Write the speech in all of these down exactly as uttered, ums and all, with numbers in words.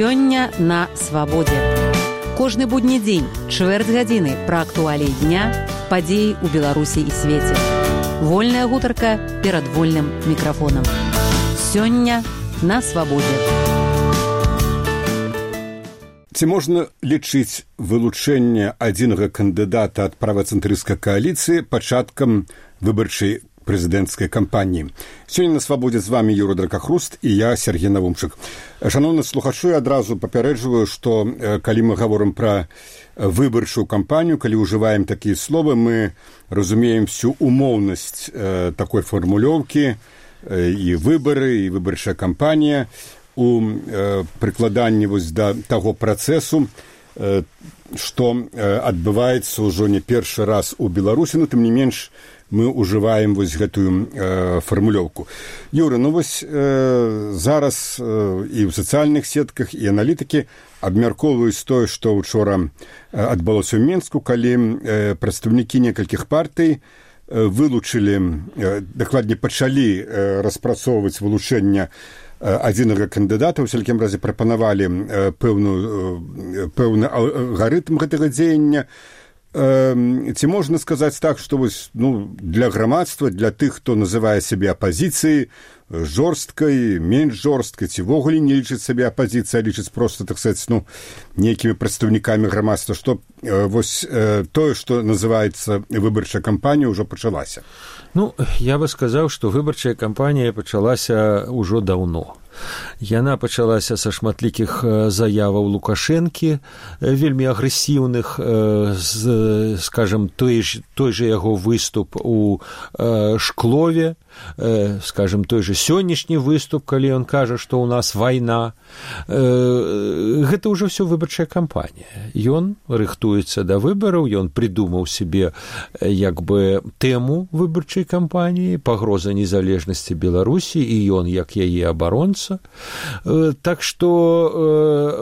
Сёння на свабодзе. Кожны будні дзень, чвэрць гадзіны пра актуаліі дня, падзеі ў Беларусі і свеце. Вольная гутарка перад вольным мікрафонам. Сёння на свабодзе. Ці можна лічыць вылучэнне адзінага кандыдата ад правацэнтрысцкай кааліцыі пачаткам выбарчай прэзідэнцкай кампаніі? Сёння на свабодзе з вами Юра Дракахруст і я, Сергей Навумчык. Шановны слухачы, адразу папярэджваю, што калі мы гаворым пра выбарчую кампанію, калі ўжываем такія словы, мы разумеем всю умоўнасць э, такой фармулёўкі, э, і выбары, і выбарчая кампанія у э, прыкладанні вось да таго працэсу, э, што э, адбываецца ўжо не першы раз у Беларусі, но тым не менш мы ўжываем вось гэтую э, фармулёўку. Юра, ну вось э, зараз э, і ў сацыяльных сетках, і аналітыкі абмяркоўваюць тое, што учора э, адбылося ў Мінску, калі э, прадстаўнікі некалькіх партый э, вылучылі, э, дакладней пачалі э, распрацоўваць вылучэнне э, адзінага кандыдата, у всякім разе прапанавалі э, пэўную, э, пэўны алгарытм гэтага дзеяння. Ці можна сказаць так, што вось, ну, для грамадства, для тых, хто называе сябе апазіцыяй, жорсткай, менш жорсткай, ці ввогуле не лічыць сабе апазіцыяй, а лічыць проста, так сказаць, ну, нейкімі прадстаўнікамі грамадства, што э, вось э, тое, што называецца выбарчая кампанія, ўжо пачалася. Ну, я бы сказаў, што выбарчая кампанія пачалася ўжо даўно. Яна пачалася са шматлікіх заяваў Лукашэнкі, вельмі агрэсіўных, з, скажем, той, той же яго выступ у Шклове, скажем, той же сённяшні выступ, калі ён кажа, што ў нас вайна. Гэта ўжо ўсё выбарчая кампанія. Ён рыхтуецца да выбараў, ён прыдумаў себе як бы тэму выбарчай кампаніі, пагроза незалежнасці Беларусі, і ён як яе абаронца. Так што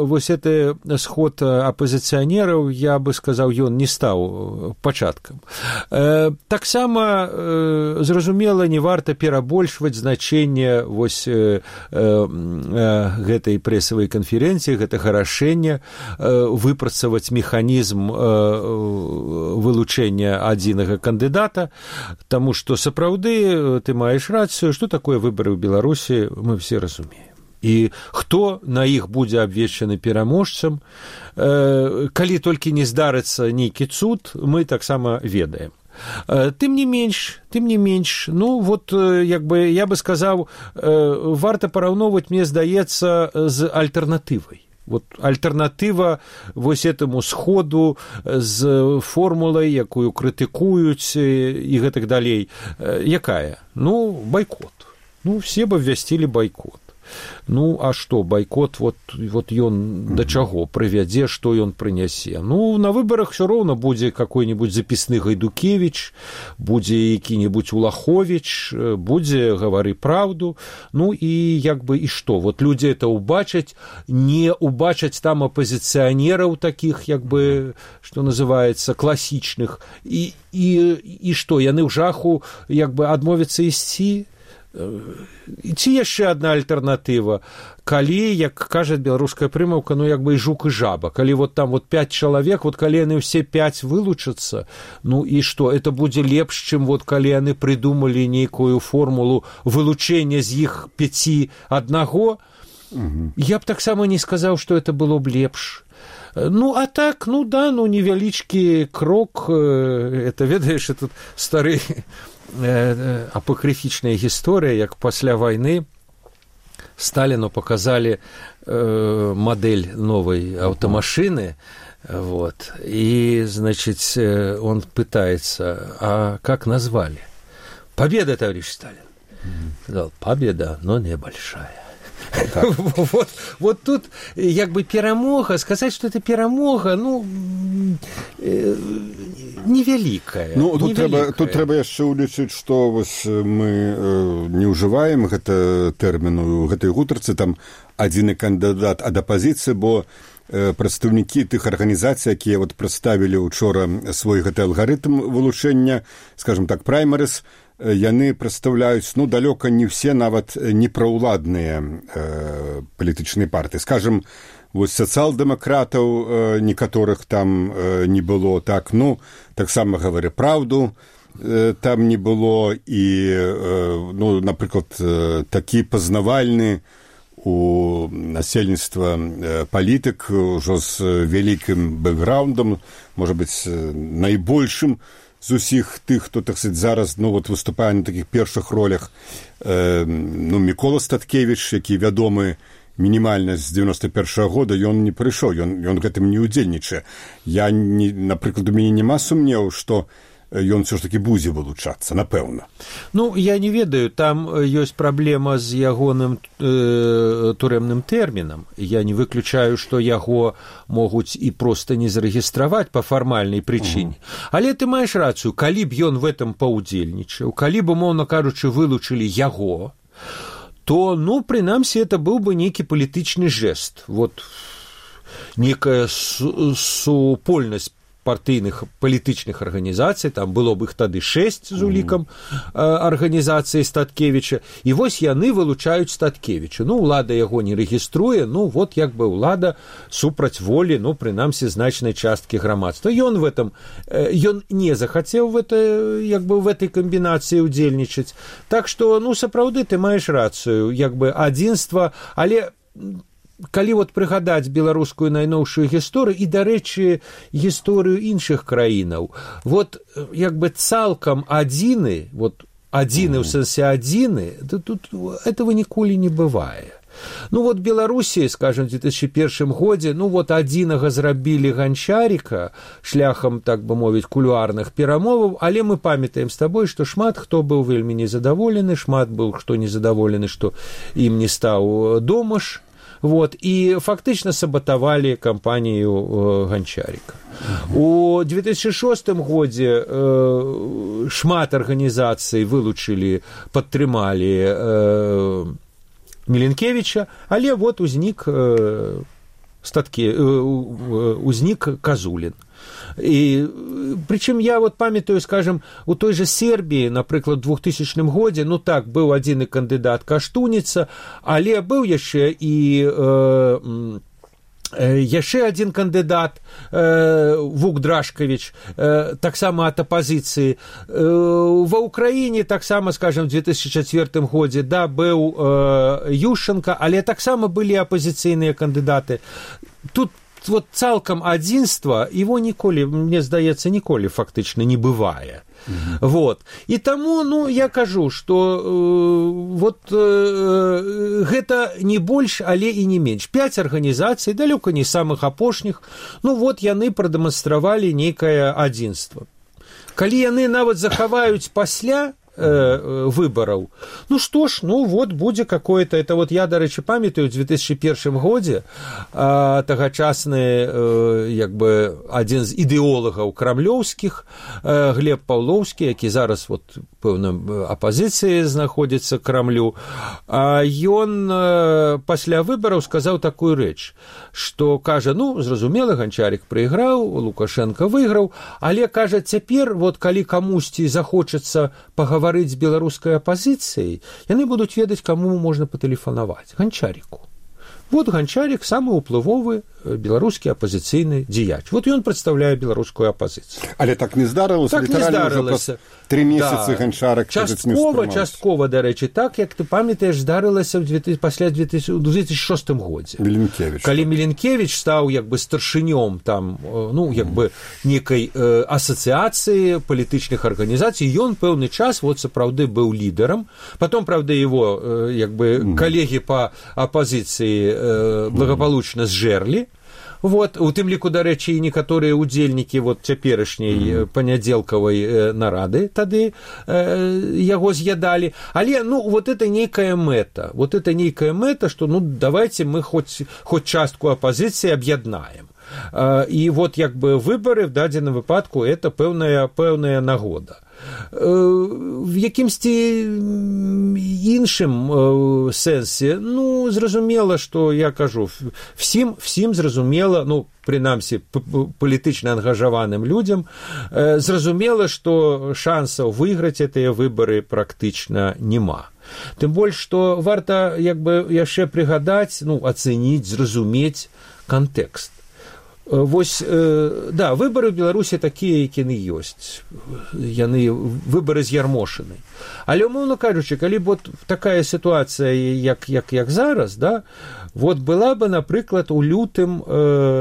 вось гэты сход апозіцыянераў, я бы сказаў, ён не стаў пачаткам. Таксама зразумела, не варта перабольшваць значэнне вось гэтай прэсавай канферэнцыі, гэтага рашэння выпрацаваць механізм вылучэння адзінага кандыдата, таму што сапраўды ты маеш рацыю, што такое выбары ў Беларусі, мы все разумеем. І хто на іх будзе абвешчаны пераможцам, калі толькі не здарыцца нейкі цуд, мы таксама ведаем. Тым не менш, тым не менш, ну, вот, як бы, я бы сказаў, варта параўноўваць, мне здаецца, з альтэрнатывай. Вот альтэрнатыва вось этому сходу з формулай, якую крытыкуюць і гэтак далей. Якая? Ну, байкот. Ну, все бы абвясцілі байкот. Ну, а што, байкот, вот, вот ён да чаго прывядзе, што ён прынясе? Ну, на выбарах ўсё роўна будзе какой-нибудь запісны Гайдукевіч, будзе які-нибудь Улаховіч, будзе гавары праўду, ну, і як бы, і што? Вот людзі это убачаць, не убачаць там апозіцыянераў такіх, як бы, што называецца, класічных, і, і, і што, яны ў жаху, як бы, адмовяцца ісці? Ці яшчэ адна альтэрнатыва, калі, як кажа беларуская прымаўка, ну як бы і жук і жаба, калі вот там вот пяць чалавек, вот калі яны ўсе пяць вылучацца, ну і што, это будзе лепш, чым вот калі яны прыдумалі нейкую формулу вылучэння з іх пяці аднаго, угу. Я б таксама не сказаў, што это было б лепш. Ну, а так, ну да, ну невялічкі крок, это, ведаеш, тут стары апакрыфічная гісторыя, як пасля вайны Сталіну показалі э, модель новой аўтамашины, вот, и, значит, он пытается, а как назвали? Победа, товарищ Сталин. Сказал, победа, но небольшая. Вот, вот тут як бы перамога, сказаць, што это перамога, ну, э, невялікая. Ну, тут трэба, тут трэба яшчэ ўлічыць, што вось мы э, не ўжываем гэта тэрміну, гэтай гутарцы, там адзіны кандыдат ад апазіцыі, бо э, прадстаўнікі тых арганізацый, якія вот прадставілі учора свой гэты алгарытм вылучэння, скажем так, праймарыс, яны прадстаўляюць, ну, далёка не ўсе нават непраўладныя э, палітычныя партыі. Скажем, вось сацыял-дэмакратаў э, некаторых там э, не было, так, ну, таксама гавары праўду, э, там не было, і, э, ну, напрыклад, э, такі пазнавальны у насельніцтва э, палітык ужо з вялікім бэкграўндам, можа быць, найбольшым з усіх тых, хто, так сказать, зараз, ну, вот, выступае на такіх першых ролях, э, ну, Мікола Статкевіч, які вядомы мінімальна з дзевяносто першага года, ён не прыйшоў, ён, ён гэтым не ўдзельнічае. Я, не, напрыклад, у мяне няма сумневу, што ён все ж таки будзе вылучацца, напэўна. Ну, я не ведаю, там ёсць праблема з ягоным э, турэмным тэрмінам. Я не выключаю, што яго могуць і проста не зарэгістраваць па фармальнай прычыне. Uh-huh. Але ты маеш рацыю, калі б ён в этом паўдзельнічаў, калі б, умоўна кажучы, вылучылі яго, то, ну, прынамсі, это быў бы нейкі палітычны жэст. Вот некая су- супольнасць партыйных палітычных арганізацый, там было б іх тады шэсць з улікам э, арганізацыі Статкевіча, і вось яны вылучаюць Статкевіча. Ну, ўлада яго не рэгіструе, ну, вот як бы ўлада супраць волі, ну, прынамсі, значнай часткі грамадства. Ён в этом, э, ён не захацеў в это, як бы в этой камбінацыі ўдзельнічаць. Так што, ну, сапраўды, ты маеш рацыю, як бы адзінства, але калі вот прыгадаць беларускую найноўшую гісторыю і, дарэчы, гісторыю іншых краінаў, вот як бы цалкам адзіны, вот адзіны ў сэнсе адзіны, да тут этого ніколі не бывае. Ну вот Беларусі, скажем, в две тысячи первом годзе, ну вот адзінага зрабілі Ганчарика шляхам, так бы мовіць, кулуарных перамоваў, але мы памятаем з табой, што шмат хто быў вельмі незадаволены, шмат быў хто незадаволены, што ім не стаў Домаш. Вот, и фактично саботовали кампанию э, Гончарика. У две тысячи шостым годзе э, шмат арганізацый вылучили, падтрымалі э, Міленкевіча, але вот узнік э, статкі, э, узнік Казулін. І прычым я вот памятаю, скажем, у той же Сербіі, напрыклад, у двухтысячным годзе, ну так, быў адзіны кандыдат Каштуніца, але быў яшчэ і э, яшчэ адзін кандыдат э, Вук Драшкавіч, э, таксама ад апазіцыі. Э, ва Ўкраіне таксама, скажем, у две тысячи четвёртым годзе, да, быў э, Ющенко, але таксама былі апазіцыйныя кандыдаты. Тут вот цалкам адзінства его ніколі, мне здаецца, ніколі фактычна не бывае. Mm-hmm. Вот. І таму, ну, я кажу, што э, вот э, гэта не больш, але і не менш. Пяць арганізацый, далёка не самых апошніх, ну вот яны прадэманстравалі нейкае адзінства. Калі яны нават захаваюць пасля выбораў. Ну што ж, ну вот будзе какое-то, это вот я, дарэчы, памятаю, у две тысячи первом годзе а, тагачасны а, як бы адзін з ідэолагаў крамлёўскіх, а, Глеб Паўлоўскі, які зараз вот пэўна апазіцыі знаходзіцца Крамлю, а ён а, пасля выбораў сказаў такую рэч, што кажа, ну, зразумела, Ганчарик прайграў, Лукашенко выйграў, але кажа, цяпер вот калі камусьці захочацца пагаварыць з беларускай апазіцыяй, яны будуць ведаць, каму можна патэлефанаваць. Ганчарику. Вот Ганчарик самы ўплывовы беларускі апазіцыйны дзеяч. Вот ён прадстаўляе беларускую апазіцыю. Але так не здарылася, так не здарылася. Тры месяцы да. Ганчарик часткова, часткова, дарэчы, так, як ты памятаеш, здарылася пасля две тысячи шостым годзе. Міленкевіч. Калі Міленкевіч стаў як бы старшынём там, ну, як бы некай э, асацыяцыі палітычных арганізацый, ён пэўны час вот сапраўды быў лідарам. Потом, правда, его э, як бы mm. калегі па апазіцыі э, благополучна зжэрлі. Вот, у тым ліку, дарэчы, і некаторыя ўдзельнікі вот цяперашняй mm. панядзелкавай э, нарады тады э, яго з'ядалі. Але, ну, вот это нейкая мэта. Вот это нейкая мэта, што, ну, давайте мы хоць, хоць частку апазіцыі аб'яднаем. Э, і вот, як бы, выбары в дадзеным выпадку это пэўная, пэўная нагода. в якімсьці іншым сэнсе, ну, зразумела, што я кажу, всім, всім зразумела, ну, прынамсі, палітычна ангажаваным людзям, зразумела, што шансаў выйграць гэтыя выбары практычна няма. Тым больш, што варта, як бы, яшчэ прыгадаць, ну, ацэніць, зразумець кантэкст. Вось, да, выбары ў Беларусі такія, які яны ёсць. Яны выбары з'ярмошаны. Але, умоўна кажучы, калі б вот такая сітуацыя, як, як, як зараз, да, вот была бы, напрыклад, у лютым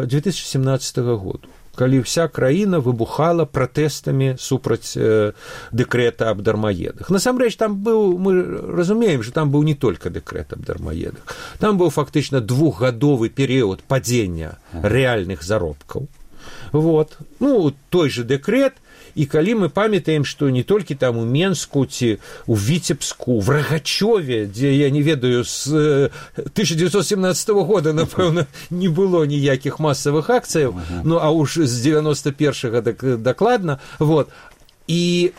две тысячи семнадцатого году, калі вся краіна выбухала пратэстамі супраць э, дэкрэта аб дармаедах. Насамрэч, там быў, мы разумеем, што там быў не толькі дэкрэт аб дармаедах. Там быў фактычна двухгадовы перыяд падзення рэальных заробкаў. Вот. Ну, той же дэкрэт, і калі мы памятаем, што не толькі там у Менску ці у Віцебску, в Рагачове, дзе, я не ведаю, з тысяча девятьсот семнадцатого года, напэўна, не было ніякіх масавых акцыяў, uh-huh. ну, а уж з девяносто первого дак, дакладна, вот. І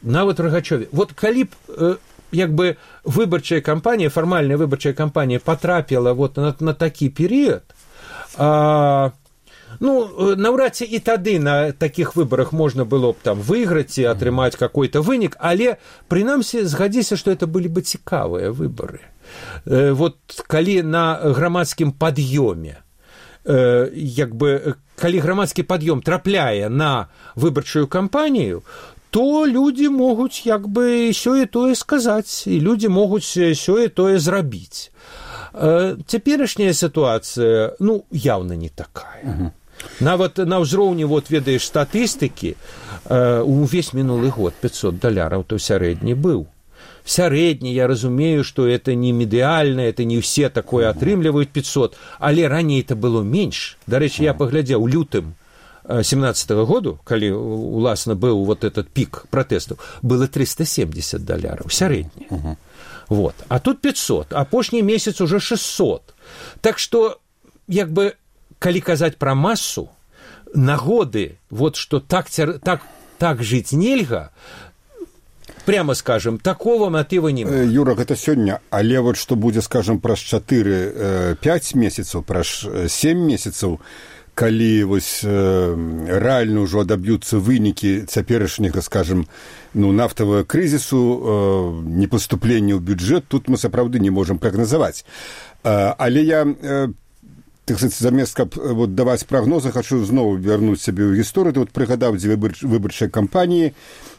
нават в Рагачове. Вот калі б, як бы, выбарчая кампанія, фармальная выбарчая кампанія патрапіла вот на, на такі перыяд, а ну, наўрад ці і тады на такіх выбарах можна было б там выйграць і атрымаць какой-то вынік, але, прынамсі, згадзіся, што это былі бы цікавыя выбары. Э, вот калі на грамадскім пад'ёме, э, як бы, калі грамадскі пад'ём трапляе на выбарчую кампанію, то людзі могуць, як бы, сёе-тое сказаць, і людзі могуць сёе-тое зрабіць. Э, цяперашняя сітуацыя, ну, яўна не такая. Uh-huh. Нават на ўзроўні, вот, ведаеш, статыстыкі, э, увесь мінулы год пятьсот даляраў то сярэдні быў. Сярэдні, я разумею, што это не медыальна, это не ўсе такое атрымліваюць пятьсот, але раней это было менш. Дарэчы, я паглядзеў у лютым семнадцатого году, калі, уласна, быў вот этот пік пратэстаў, было триста семьдесят даляраў, сярэдні. Uh-huh. Вот. А тут пятьсот, апошні месяц уже шестьсот. Так што, як бы, калі казаць пра масу, нагоды, вот што так, так, так жыць нельга, прямо скажем, такого матыва няма. Юра, гэта сёння, але вот што будзе, скажем, праз чатыры-пяць месяцаў, праз сем месяцаў, калі вось рэальна ўжо адаб'юцца вынікі цяперашняга, скажем, ну, нафтавага крызісу, непаступлення ў бюджэт, тут мы сапраўды не можам прагназаваць. Але я, так сказать, замест каб вот даваць прагнозы, хочу зноў вярнуць сябе ў гісторыю. Ты вот прыгадаў дзе выбарчай кампаніі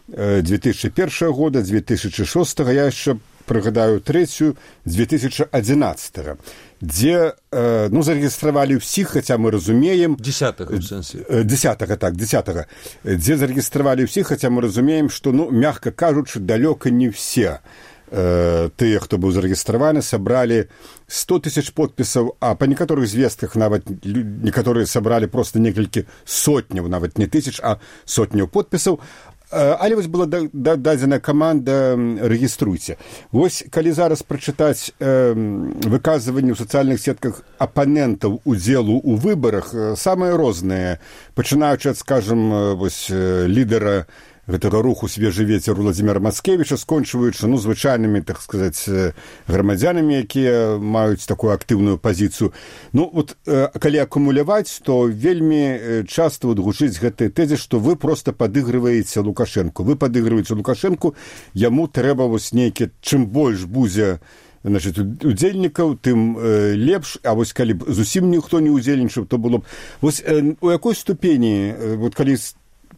две тысячи первого года, две тысячи шестого, я яшчэ прыгадаю трэцюю, две тысячи одиннадцатого, дзе, ну, зарэгістравалі ўсіх, хаця мы разумеем... Десятага, в сэнсе. Десятага, так, десятага. Дзе зарэгістравалі ўсіх, хаця мы разумеем, што, ну, мягка кажучы, далёка не все тыя, хто быў зарэгістраваны, сабралі сто тысяч подпісаў, а па некаторых звестках нават некаторыя сабралі проста некалькі сотняў, нават не тысяч, а сотняў подпісаў. Але вось была дадзена каманда «Рэгіструйце». Вось, калі зараз прачытаць выказванні ў сацыяльных сетках апанентаў удзелу ў выбарах, самыя розныя, пачынаючы ад, скажам, вось, лідара гэтага руху «Свежы ветер» Владзіміра Мацкевіча, скончваючы, ну, звычайнымі, так сказаць, грамадзянамі, якія маюць такую актыўную пазіцыю. Ну, вот, калі акумуляваць, то вельмі часта вот гучыць гэтай тэзе, што вы проста падыгрываеце Лукашэнку. Вы падыгрываеце Лукашэнку, яму трэба вось нейкі, чым больш будзе, значит, удзельнікаў, тым э, лепш, а вось калі б зусім ніхто не удзельнічаў, то было б... Вось э, у якой ступені, э, вот калі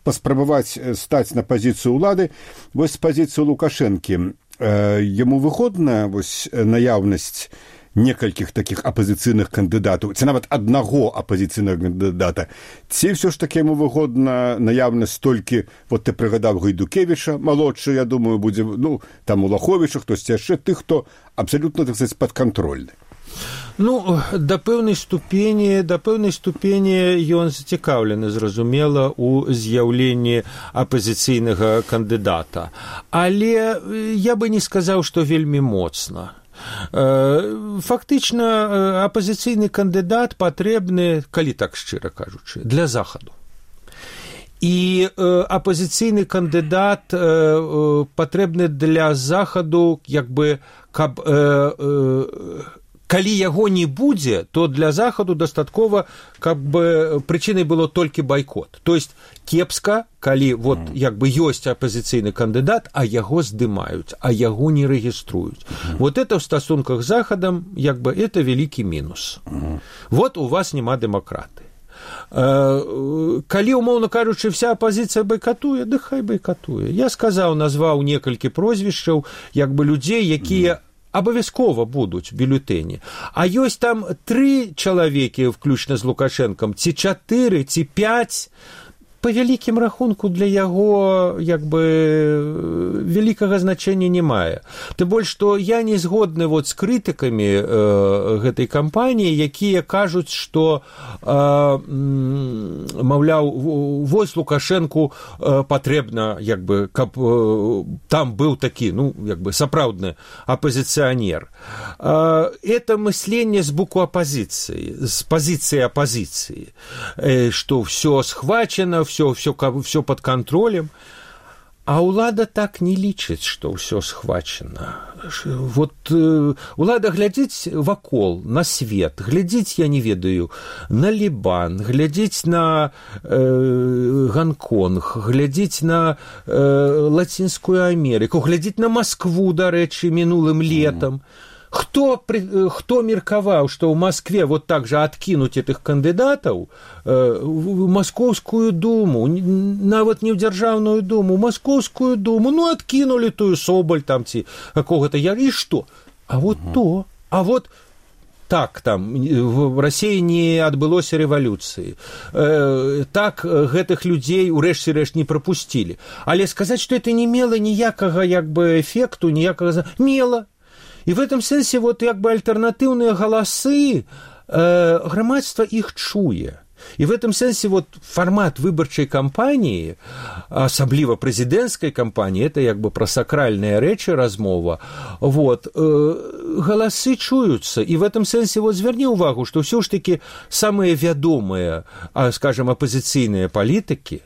паспрабаваць стаць на пазіцыю ўлады, вось з пазіцыі Лукашэнкі, э, яму выходна вось наяўнасць некалькіх такіх апазіцыйных кандыдатаў, ці нават аднаго апазіцыйнага кандыдата, ці ўсё ж такі яму выгодна наяўнасць толькі, вот ты прыгадаў Гайдукевіча, малодшы, я думаю, будзе, ну, там Улаховіча, хтосьці яшчэ, тых, хто абсалютна, так сказаць, падкантрольны. Ну, да пэўнай ступені, да пэўнай ступені ён зацікаўлены, зразумела, у з'яўленні апазіцыйнага кандыдата. Але я бы не сказаў, што вельмі моцна. Фактычна, апазіцыйны кандыдат патрэбны, калі так шчыра кажучы, для захаду. і э, апазіцыйны кандыдат э, э, патрэбны для захаду, як бы, каб э, э, калі яго не будзе, то для захаду дастаткова, каб бы прычынай было толькі байкот. То есть кепска, калі вот як бы ёсць апазіцыйны кандыдат, а яго здымаюць, а яго не рэгіструюць. Mm-hmm. Вот это в стасунках з захадам, як бы, это вялікі мінус. Mm-hmm. Вот у вас няма дэмакраты. Калі, умоўна кажучы, вся апазіцыя байкатуе, ды хай байкатуе. Я сказаў, назваў некалькі прозвішчаў, як бы, людзей, якія mm-hmm. абавязкова будуць бюлетэні. А ёсць там тры чалавекі, включна з Лукашэнкам, ці чатыры, ці пяць, па вялікім рахунку для яго, як бы, вялікага значэння не мае. Тым больш, што я не згодны вот з крытыкамі э, гэтай кампаніі, якія кажуць, што э, маўляў, вось Лукашэнку э, патрэбна, як бы, каб э, там быў такі, ну, як бы, сапраўдны апазіцыянер. Э, это мысленне з боку апазіцыі, з пазіцыі апазіцыі, э, што ўсё схвачана, все, все, все под контролем, а улада так не лічыць, што ўсё схвачана. Вот э, улада глядзіць вакол, на свет, глядзіць, я не ведаю, на Лібан, глядзіць на э, Гонконг, глядзіць на э, Лацінскую Амерыку, глядзіць на Маскву, дарэчы, мінулым летам. Хто, хто меркаваў, што ў Маскве вот так же адкінуць этых кандыдатаў, э, в Маскоўскую думу, нават не ў дзяржаўную думу, ў Маскоўскую думу, ну, адкінулі тую Соболь там ці какого-то, я, і што? А вот uh-huh. то, а вот так там, в Расіі не адбылося рэвалюцыі, э, так гэтых людзей урэшце рэшт не прапусцілі. Але сказаць, што это не мела ніякага, як бы, эфекту, ніякага... Мела. И в этом сенсе вот как бы альтернативные голосы, э, громадство их чуе. И в этом сенсе вот формат выборчей кампании, особливо президентской кампании, это как бы про сакральные речи размова, вот, э, голосы чуются. И в этом сенсе вот зверни увагу, что все ж таки самые вядомые, скажем, оппозиционные политики,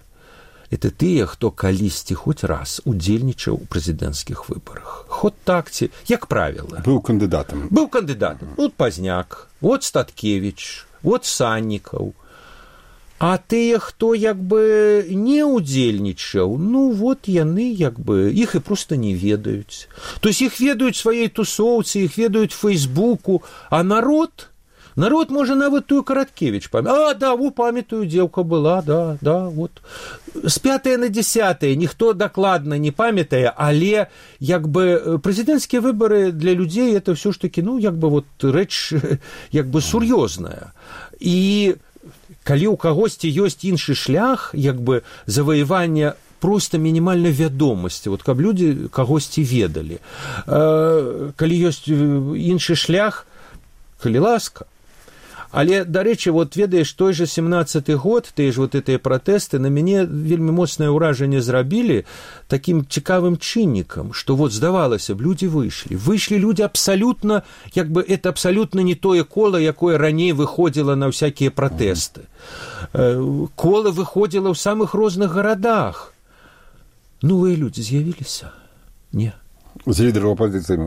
это тыя, хто калісьці хоць раз удзельнічаў у прэзідэнцкіх выбарах. Хоць так ці, як правіла. Быў кандыдатам. Быў кандыдатам. Вот Пазняк, вот Статкевіч, вот Саннікаў. А тыя, хто як бы не удзельнічаў, ну вот яны як бы, іх і проста не ведаюць. То есть іх ведаюць сваёй тусоўцы, іх ведаюць Фейсбуку, а народ... Народ, можа, нават тую Караткевіч памятае. А, да, во, памятаю, дзеўка была, да, да, вот. З пятае на дзесятае ніхто дакладна не памятае, але, як бы, прэзідэнцкія выбары для людзей это ўсё ж такі, ну, як бы, вот, рэч, як бы, сур'ёзная. І калі ў кагосьці ёсць іншы шлях, як бы, заваявання просто мінімальнай вядомасці, вот, каб людзі кагосьці ведалі. Калі ёсць іншы шлях, калі ласка. Але, дарэчы, вот ведаеш, той же семнадцаты год, тыя ж вот гэтыя пратэсты на мяне вельмі моцнае ўражанне зрабілі такім цікавым чыннікам, што вот здавалася б, людзі выйшлі. Выйшлі людзі абсалютна, як бы это абсалютна не тое кола, якое раней выходзіла на ўсякія пратэсты. Кола выходзіла ў самых розных гарадах. Новыя людзі з'явіліся? Не. З лидеров оппозиции.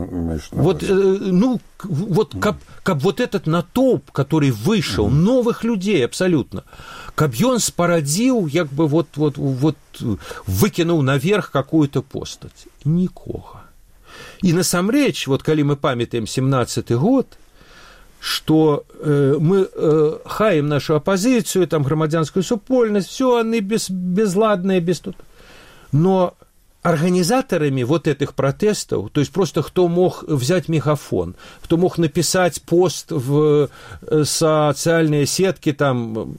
Вот, э, ну, вот, каб, каб вот этот натоўп, который вышел, mm-hmm. новых людей абсолютно, каб ён спарадзіў, як бы вот, вот, вот выкинул наверх какую-то постать. Никога. И насамрэч, вот, калі мы памятаем семнадцаты год, что э, мы э, хаем нашу оппозицию, там, громадянскую супольность, все они без, безладные, без тут. Но организаторами вот этих протестов, то есть просто кто мог взять мегафон, кто мог написать пост в социальные сетки, там,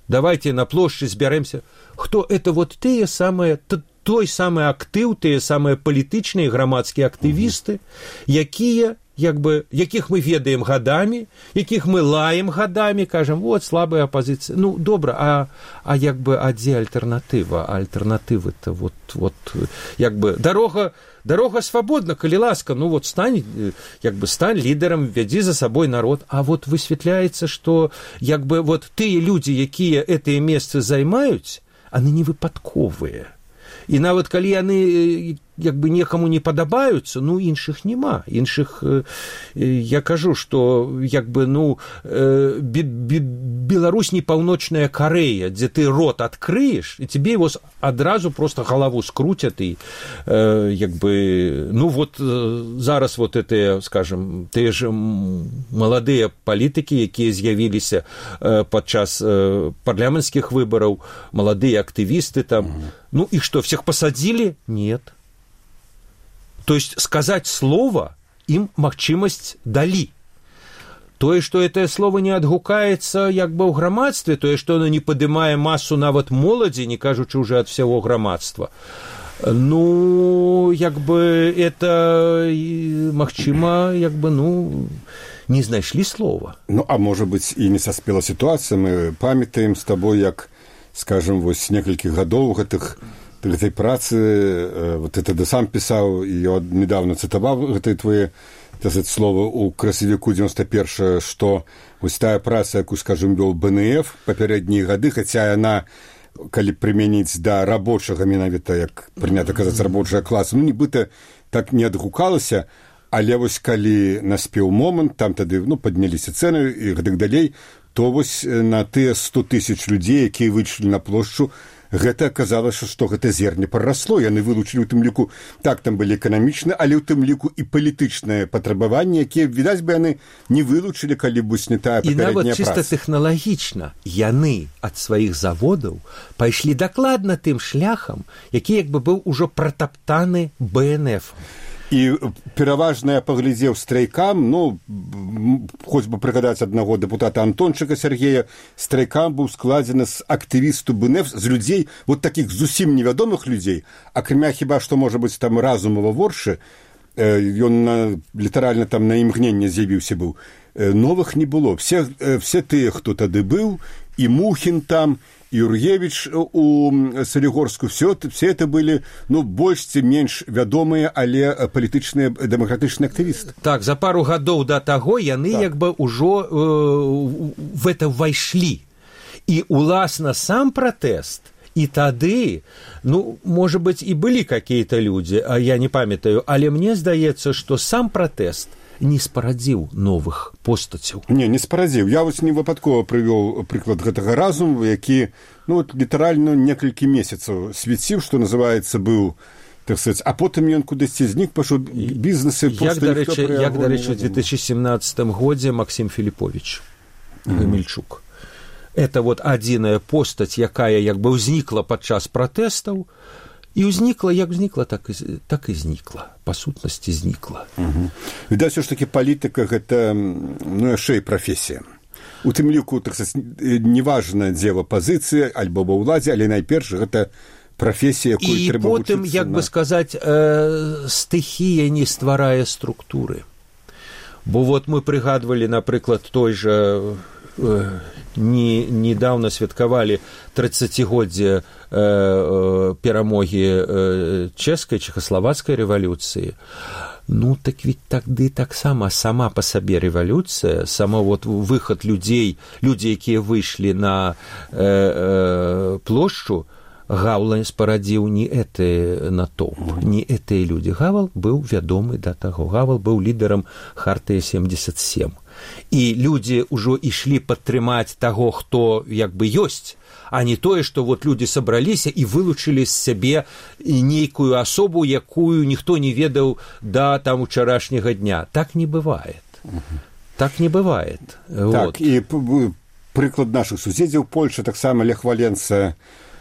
давайте на площадь сберемся, кто это вот те самые, той самый актыў, те самые палітычныя грамадскія актывісты, якія, як бы, якіх мы ведаем гадамі, якіх мы лаем гадамі, кажам, вот, слабая оппозиция. Ну, добра, а, а як бы, а дзе альтэрнатыва? А альтэрнатывы-то, вот, вот, як бы, дарога, дарога свабодна, калі ласка, ну, вот, стань, як бы, стань лідарам, вядзі за сабой народ. А вот высвятляецца, што, як бы, вот, тыя людзі, якія гэтыя месцы займаюць, яны не выпадковыя. І нават калі яны як бы некаму не падабаюцца, ну іншых няма, іншых я кажу, што як бы ну Беларусь не паўночная Карэя, дзе ты рот адкрыеш, і тебе его адразу просто галаву скруцят, і як бы ну вот зараз вот это, скажем, тыя ж маладыя палітыкі, якія з'явіліся падчас парламенцкіх выбараў, маладыя актывісты там, ну и что, всех посадили? Нет. То есть сказать слово им магчымасць далі. Тое, што гэтае слово не адгукаецца як бы ў грамадстве, тое, што оно не падымае масу нават моладзі, не кажучы уже ад всяго грамадства, ну, як бы это, магчыма, як бы, ну, не знайшлі слова. Ну, а можа быць, і не саспела сітуацыя. Мы памятаем з табой, як, скажем, вось некалькі гадоў гэтых гэтай працы, вот это ты сам пісаў, і я недавно цытаваў гэтыя твои, так сказать, слова у красавіку девяносто первого, што вось тая праца, якую, скажем, вёл бэ эн эф папярэднія гады, хаця яна, калі прымяніць да рабочага, менавіта, як прынята казаць, рабочага класа, ну, нібыта так не адгукалася, але вось калі наспеў момант, там тады, ну, падняліся цэны і гэтак далей, то вось на тыя сто тысяч людзей, якія выйшлі на плошчу, гэта аказалася, што гэта зерне прарасло. Яны вылучылі ў тым ліку, так, там былі эканамічныя, але ў тым ліку і палітычныя патрабаванні, якія, відаць бы, яны не вылучылі, калі б не тая папярэдняя праца. І нават чыста тэхналагічна яны ад сваіх заводаў пайшлі дакладна тым шляхам, які як бы быў ужо пратаптаны бэ эн эф. І пераважна я паглядзеў страйкам, ну, хоць бы прыгадаць аднаго дэпутата Антончыка Сергея, страйкам быў складзены з актывісту бэ эн эф, з людзей, вот такіх зусім невядомых людзей, акрамя хіба што, можа быць, там Разумова Воршы, ён літаральна там на імгненне з'явіўся быў, новых не было. Все, все тыя, хто тады быў, і Мухін там, Юргевич у Солігорску, все, все это были, ну, больш ці менш вядомыя, але палітычныя дэмакратычныя актывісты. Так, за пару гадоў да таго яны так. як бы ўжо э, в это ўвайшлі. І, уласна, сам пратэст, і тады, ну, можа быць, і былі какие-то людзі, а я не памятаю, але мне здаецца, што сам пратэст не спарадзіў новых постацяў. Не, не спарадзіў. Я вось не выпадкова прывёў прыклад гэтага Разумова, які, ну, вот, літаральна некалькі месяцаў свяціў, што называецца, быў, так сказать, а потым ён кудысьці знік, пашоў бізнесы... Як, дарэчы, як, дарэчы, у две тысячи семнадцатым годзе Максим Філіпович Гамельчук. Mm-hmm. Это вот адзіная постаць, якая як бы ўзнікла падчас пратэстаў, і ўзнікла, як узнікла, так і, так і знікла. Па сутнасці знікла. Угу. Відаць, все ж таки палітыка гэта, ну, яшчэ і прафесія. У тым ліку, так сказаць, неважна, дзе в апазіцыі, альбо ва ўладзе, але найперш гэта прафесія, якую і трэба потым, вучыцца. як на... бы сказаць, э, стыхія не стварае структуры. Бо вот мы прыгадвалі, напрыклад, той жа... Не, недавно святкавалі тридцатигоддзе э, э, перамогі э, чэшскай, чэхаславацкай рэвалюцыі. Ну, так ведь тады таксама сама па сабе рэвалюцыя, сама вот выхад людзей, людзі, якія выйшлі на э, э, плошчу, Гавал спарадзіў не гэты натоўп, не гэтыя людзі. Гавал быў вядомы да таго. Гавал быў лідарам Хартыі семьдесят семь. І людзі ўжо ішлі падтрымаць таго, хто як бы ёсць, а не тое, што вот людзі сабраліся і вылучылі з сябе нейкую асобу, якую ніхто не ведаў да там учарашняга дня. Так не бывает. Так не бывает. Так, вот. І прыклад нашых суседзяў Польша, таксама Лех Валенса,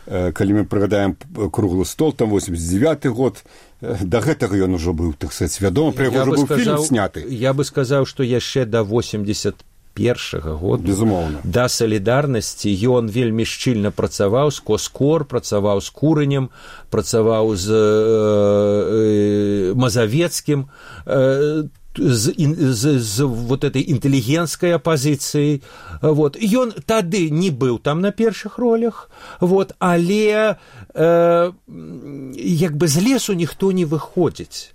калі мы прыгадаем круглы стол, там восемьдесят девятый год, да гэтага ён ужо быў, так сказать, вядома, пра яго ўжо быў фільм сняты. Я бы сказаў, што яшчэ да восемьдесят первого года, безумоўна, да салідарнасці ён вельмі шчыльна працаваў з Коскор, працаваў з Куранем, працаваў з э, э, Мазавецкім. Э, з, з, з вот этой інтэлігенцкай апазіцыяй. Вот. Ён тады не быў там на першых ролях, вот, але э, як бы з лесу ніхто не выходзіць.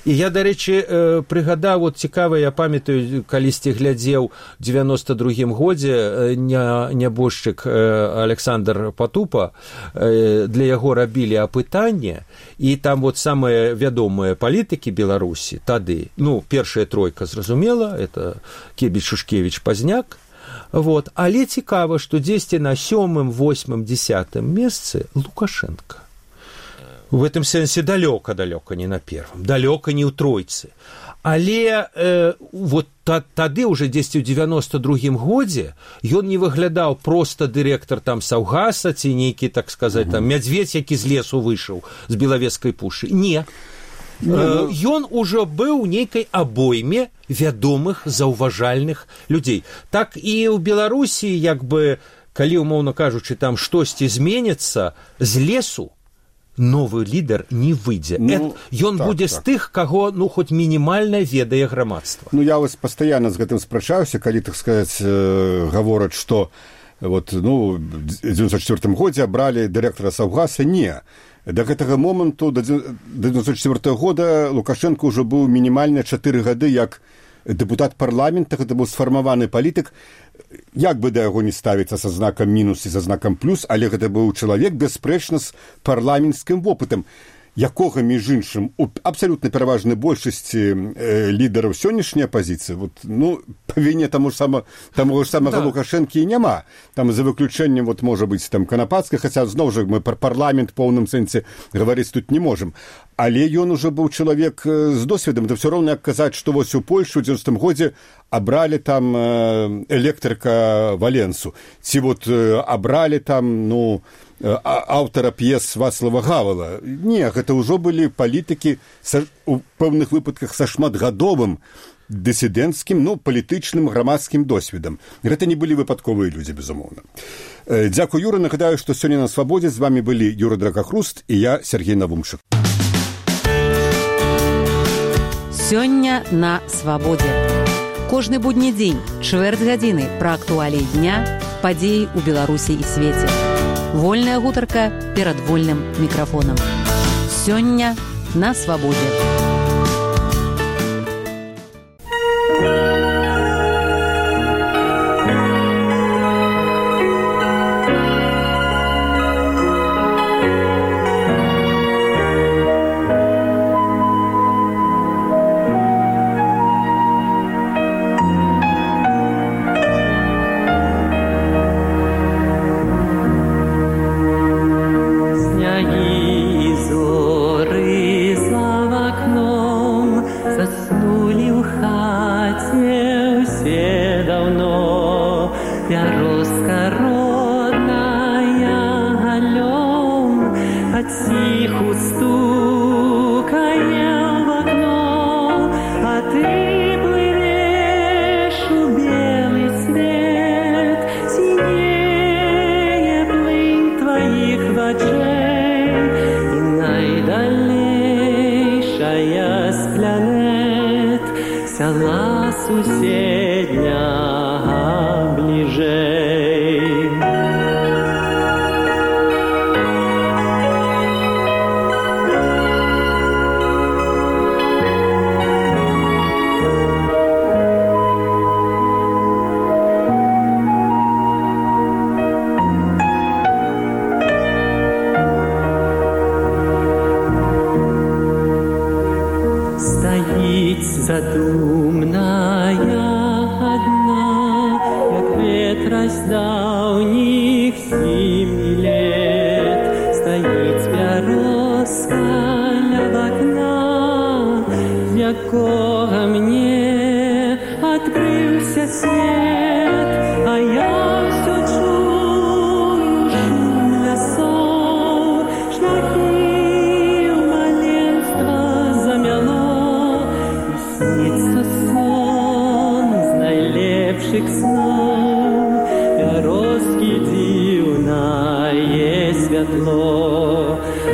І я, дарэчы, э, прыгадаў, вот цікава, я памятаю, калісьці глядзеў у дзевяноста другім годзе не, нябожчык э, Александр Патупа, э, для яго рабілі апытанне, і там вот самыя вядомыя палітыкі Беларусі тады, ну, першая тройка, зразумела, это Кебіч, Шушкевіч, Пазняк, вот, але цікава, што дзесьці на сёмым, восьмым, дзесятым месцы Лукашенко. В этом сэнсе далёка-далёка не на первом, далёка не ў тройцы. Але э, вот та, тады уже дзесьці ў дзевяноста другім годзе ён не выглядаў проста дырэктар там Саўгаса ці нейкі, так сказаць, там мядзведь, які з лесу выйшаў з Белавежскай пушы. Не. Э, ён ужо быў у нейкай абойме вядомых, заўважальных людзей. Так і ў Беларусі, як бы, калі, умоўна кажучы, там штосьці зменіцца, з лесу новы лідар не выйдзе. Ну, ён так, будзе так. з тых, каго, ну, хоць мінімальна ведае грамадства. Ну, я вось пастаянна з гэтым спрачаўся, калі, так сказаць, э, гавораць, што вот, ну, ў дзевяносто четвёртым годзе абралі дырэктара Саўгаса. Не. Да гэтага моманту, да дзевяносто четвёртага года, Лукашенко ўжо быў мінімальна чатыры гады як дэпутат парламента, гэта быў сфармаваны палітык, як бы да яго не ставіцца са знакам мінус і са знакам плюс, але гэта быў чалавек, бясспрэчна, з парламенцкім вопытам, якога, між іншым, у абсалютна пераважнай большасці э, лідараў сённяшняй апазіцыі, вот, ну, па віне таму ж сама, таму ж самага да. Лукашэнкі і няма. Там за выключэннем, вот, можа быць, там, Канапацкай, хаця, зноў жа, мы пра парламент поўным сэнсе гаварыць тут не можам. Але ён ужо быў чалавек з досведам, то ўсё роўна, як казаць, што вось у Польшу ў дзевяностым годзе абралі там электрыка Валенсу, ці вот абралі там, ну, аўтара п'ес Вацлава Гавала. Не, гэта ўжо былі палітыкі са, у пэўных выпадках са шматгадовым дысідэнцкім, ну, палітычным, грамадскім досведам. Гэта не былі выпадковыя людзі, безумоўна. Дзякуй, Юра. Нагадаю, што сёння на Свабодзе з вамі былі Юра Дракахруст і я, Сергей Навумчык. Сёння на Свабодзе. Кожны будні дзень, чвэрць гадзіны пра актуаліі дня, падзеі ў Беларусі і свеце. Вольная гутарка перад вольным мікрафонам. Сёння на Свабодзе.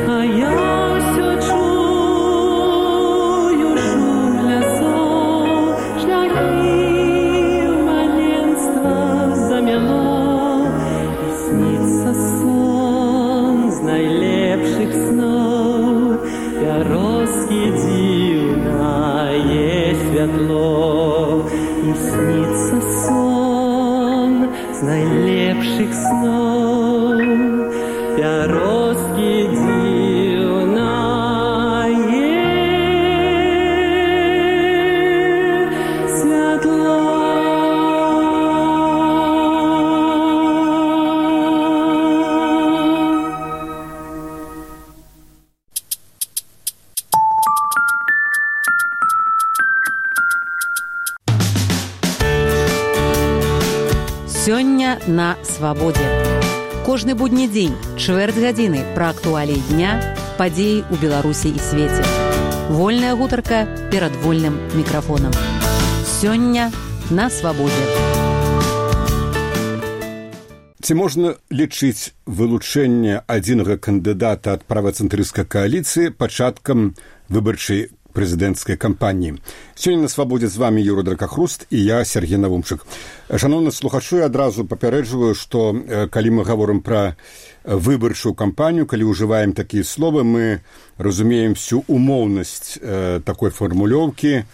А я все чую шум лесов. Сёння на свабодзе. Кожны будні дзень, чвэрць гадзіны пра актуаліі дня, падзеі ў Беларусі і свеце. Вольная гутарка перад вольным мікрафонам. Сёння на свабодзе. Ці можна лічыць вылучэнне адзінага кандыдата ад правацэнтрысцкай кааліцыі пачаткам выбарчай прэзідэнцкай кампаніі? Сёння на свабодзе з вами Юра Дракахруст і я, Сергей Навумчык. Шановны слухачы, адразу папярэджваю, што калі мы гаворым пра выбарчую кампанію, калі ўжываем такія словы, мы разумеем всю умоўнасць э, такой фармулёўкі, э,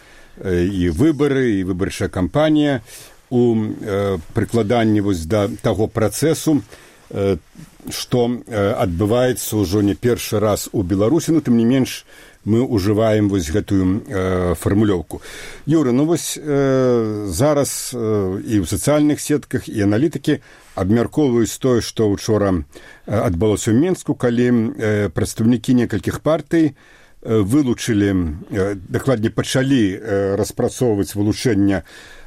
і выбары, і выбарчая кампанія у э, прыкладанні вось да таго працэсу, э, што э, адбываецца ўжо не першы раз у Беларусі, но тым не менш мы ўжываем вось гэтую э, фармулёўку. Юра, ну вось э, зараз э, і ў сацыяльных сетках, і аналітыкі абмяркоўваюць тое, што учора адбылося ў Менску, калі э, прадстаўнікі некалькіх партый э, вылучылі, э, дакладней пачалі э, распрацоўваць вылучэнне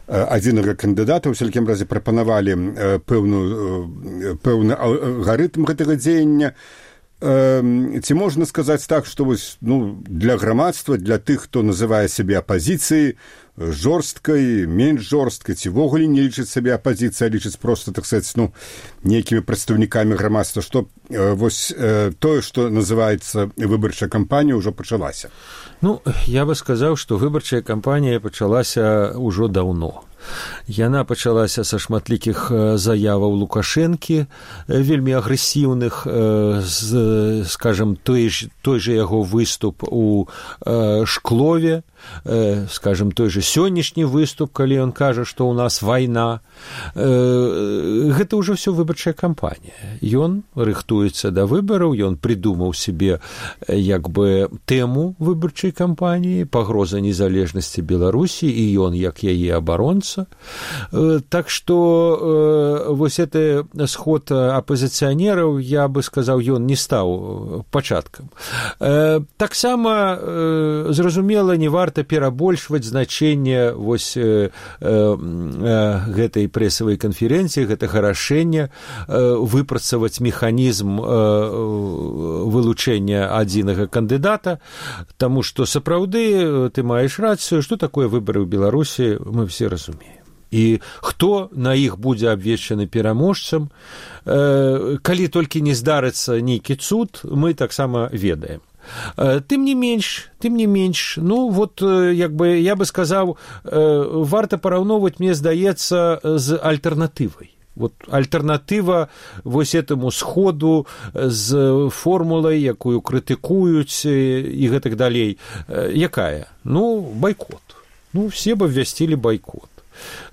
адзінага кандыдата, у всякім разе прапанавалі э, пэўную, э, пэўны алгарытм гэтага дзеяння. Ці можна сказаць так, што вось, ну, для грамадства, для тых, хто называе сябе апазіцыяй, жорсткай, менш жорсткай, ці ввогуле не лічыць сябе апазіцыяй, а лічыць проста, так сказаць, ну, нейкімі прадстаўнікамі грамадства, што вось тое, што называецца выбарчая кампанія, ўжо пачалася? Ну, я бы сказаў, што выбарчая кампанія пачалася ўжо даўно. Яна пачалася са шматлікіх заяваў Лукашэнкі, вельмі агрэсіўных, з, скажем, той, той же яго выступ у Шклове, скажем, той же сённяшні выступ, калі ён кажа, што ў нас вайна. Гэта ўжо ўсё выбарчая кампанія. Ён рыхтуецца да выбараў, ён прыдумаў себе як бы тэму выбарчай кампаніі, пагроза незалежнасці Беларусі, і ён як яе абаронца. Так што вось гэты сход апозіцыянераў, я бы сказаў, ён не стаў пачаткам. Таксама зразумела, не варта перабольшваць значэнне вось гэтай прэсавай канферэнцыі, гэтага рашэння выпрацаваць механізм вылучэння адзінага кандыдата, таму што сапраўды ты маеш рацыю, што такое выбары ў Беларусі, мы все разумеем. І хто на іх будзе абвешчаны пераможцам, калі толькі не здарыцца нейкі цуд, мы таксама ведаем. Тым не менш, тым не менш, ну вот, як бы, я бы сказаў, варта параўноўваць, мне здаецца, з альтэрнатывай. Вот альтэрнатыва вось этому сходу з формулай, якую крытыкуюць і гэтак далей, якая? Ну, байкот. Ну, все бы абвясцілі байкот.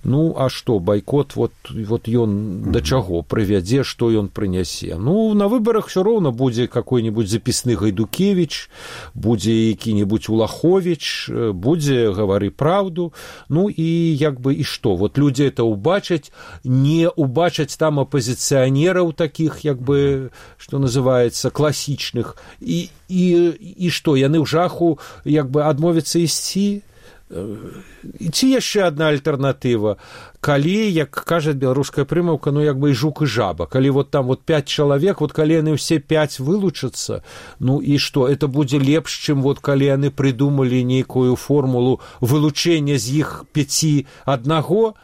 Ну, а што, байкот, вот, вот ён да чаго прывядзе, што ён прынясе? Ну, на выбарах ўсё роўна будзе какой-нибудь запісны Гайдукевіч, будзе які-нибудь Улаховіч, будзе гавары праўду, ну і як бы і што? Вот людзі это убачаць, не убачаць там апозіцыянераў такіх, як бы, што называецца, класічных, і, і, і што, яны ў жаху, як бы, адмовяцца ісці? Ці яшчэ адна альтэрнатыва, калі, як кажа беларуская прымаўка, ну як бы і жук і жаба, калі вот там вот пяць чалавек, вот калі яны ўсе пяць вылучацца, ну і што, это будзе лепш, чым вот калі яны прыдумалі нейкую формулу вылучэння з іх пяці аднаго,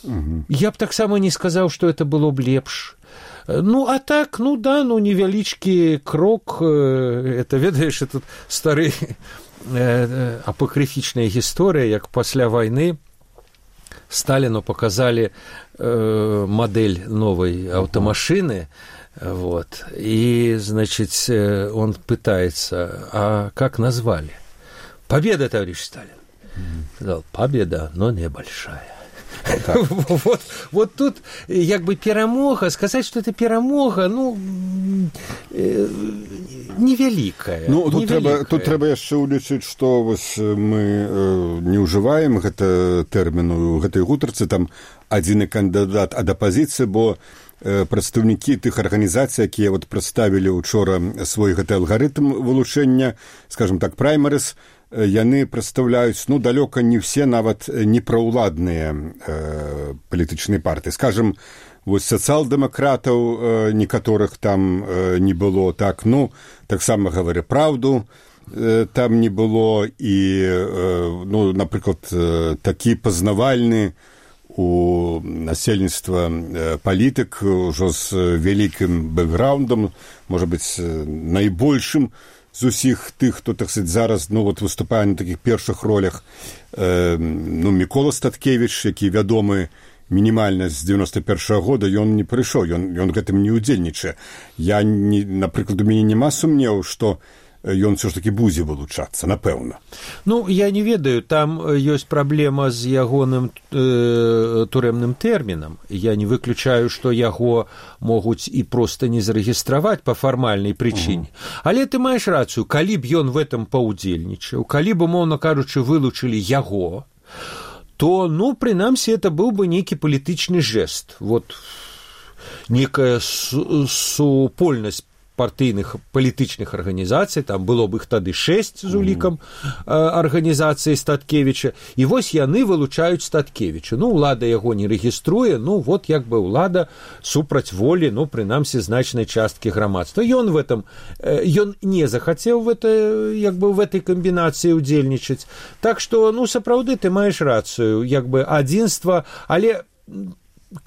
угу. Я б таксама не сказаў, што это было б лепш. Ну, а так, ну да, ну невялічкі крок, это, ведаеш, это стары апакрыфічная гісторыя, як пасля вайны Сталіну показалі э, модель новой аўтамашыны, вот, и, значит, он пытается, а как назвали? Победа, товарищ Сталин. Mm-hmm. Сказал, победа, но небольшая. Вот, вот тут як бы перамога, сказаць, што это перамога, ну э, невялікая. Ну тут трэба, тут трэба яшчэ ўлічыць, што вось мы э, не ўжываем гэта тэрміну у гэтай гутарцы, там адзіны кандыдат ад апазіцыі, бо э, прадстаўнікі тых арганізацый, якія вот прадставілі учора свой гэты алгарытм вылучэння, скажем так, праймарыс, яны прадстаўляюць, ну, далёка не все нават непраўладныя э, палітычныя партыі. Скажем, вось сацыял-дэмакратаў некаторых там не было, так, ну, таксама гавары праўду, там не было, і, ну, напрыклад, такі пазнавальны у насельніцтва палітык ужо з вялікім бэкграўндам, можа быць, найбольшым з усіх тых, хто, так сказаць, зараз, ну, вот, выступае на такіх першых ролях, ну, Мікола Статкевіч, які вядомы мінімальна з дзевяносто першага года, ён не прыйшоў, ён, ён гэтым не ўдзельнічае. Я, не, напрыклад, у мяне няма сумневу, што ён все ж таки будзе вылучацца, напэўна. Ну, я не ведаю, там ёсць праблема з ягоным э, турэмным тэрмінам. Я не выключаю, што яго могуць і проста не зарэгістраваць па фармальнай прычыне. Uh-huh. Але ты маеш рацыю, калі б ён в этом паўдзельнічаў, калі б, умоўна кажучы, вылучылі яго, то, ну, прынамсі, это быў бы нейкі палітычны жэст. Вот некая супольнасць партыйных палітычных арганізацый, там было б іх тады шэсць з улікам арганізацыі Статкевіча, і вось яны вылучаюць Статкевіча. Ну, ўлада яго не рэгіструе, ну, вот як бы ўлада супраць волі, ну, прынамсі, значнай часткі грамадства. Ён в этом, ён не захацеў в это, як бы, в этой камбінацыі ўдзельнічаць. Так што, ну, сапраўды, ты маеш рацыю, як бы, адзінства, але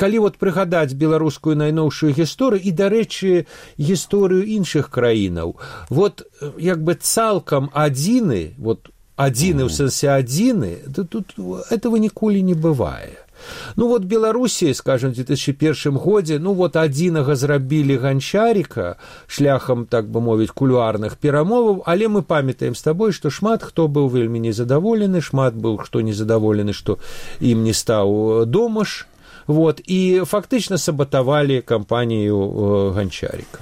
калі вот прыгадаць беларускую найноўшую гісторыю і, дарэчы, гісторыю іншых краінаў, вот як бы цалкам адзіны, вот адзіны ў сэнсе адзіны, тут этого ніколі не бывае. Ну вот Беларусі, скажем, в две тысячи первом годзе, ну вот адзінага зрабілі Ганчарика шляхам, так бы мовіць, кулуарных перамоваў, але мы памятаем з табой, што шмат хто быў вельмі незадаволены, шмат быў хто незадаволены, што ім не стаў Домаш. Вот, и фактично саботовали кампанию э, Гончарика.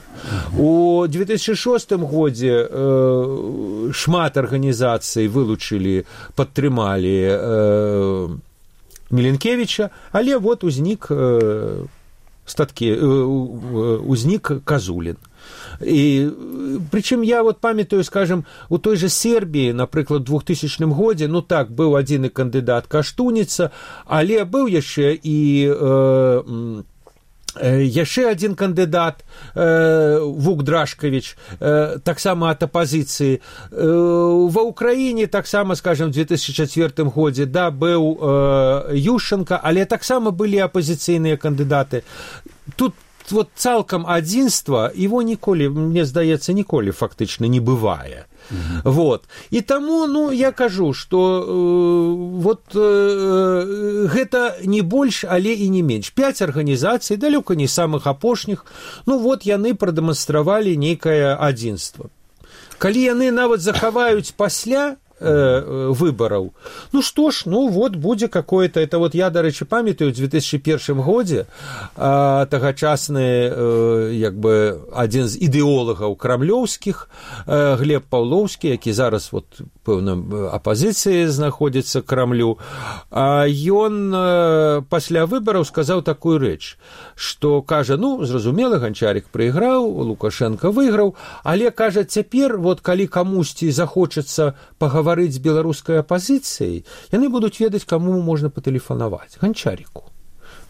У две тысячи шостым годзе э, шмат арганізацый вылучили, падтрымалі э, Міленкевіча, але вот узнік э, статкі, э, узнік Казулін. І прычым я вот памятаю, скажем, у той же Сербіі, напрыклад, у двухтысячным годзе, ну так, быў адзіны кандыдат Каштуніца, але быў яшчэ і э, э, яшчэ адзін кандыдат э, Вук Драшкавіч, э, таксама ад апазіцыі. Э, ва Ўкраіне таксама, скажем, в две тысячи четвёртым годзе, да, быў э, Ющенко, але таксама былі апазіцыйныя кандыдаты. Тут вот цалкам адзінства его ніколі, мне здаецца, ніколі фактычна не бывае. Mm-hmm. Вот. І таму, ну, я кажу, што э, вот э, гэта не больш, але і не менш. Пяць арганізацый, далёка не самых апошніх, ну вот яны прадэманстравалі нейкае адзінства. Калі яны нават захаваюць пасля выбораў. Ну што ж, ну вот будзе какое-то, это вот я, дарэчы, памятаю, в две тысячи первом годзе а, тагачасны э, як бы адзін з ідэолагаў крамлёўскіх, э, Глеб Паўлоўскі, які зараз вот пэўна апазіцыі знаходзіцца к Крамлю, а ён э, пасля выбораў сказаў такую рэч, што кажа, ну, зразумела, Ганчарик прайграў, Лукашенко выйграў, але, кажа, цяпер, вот калі камусьці захочацца пагаварыць з беларускай апазіцыяй, яны будуць ведаць, каму можна патэлефанаваць. Ганчарику.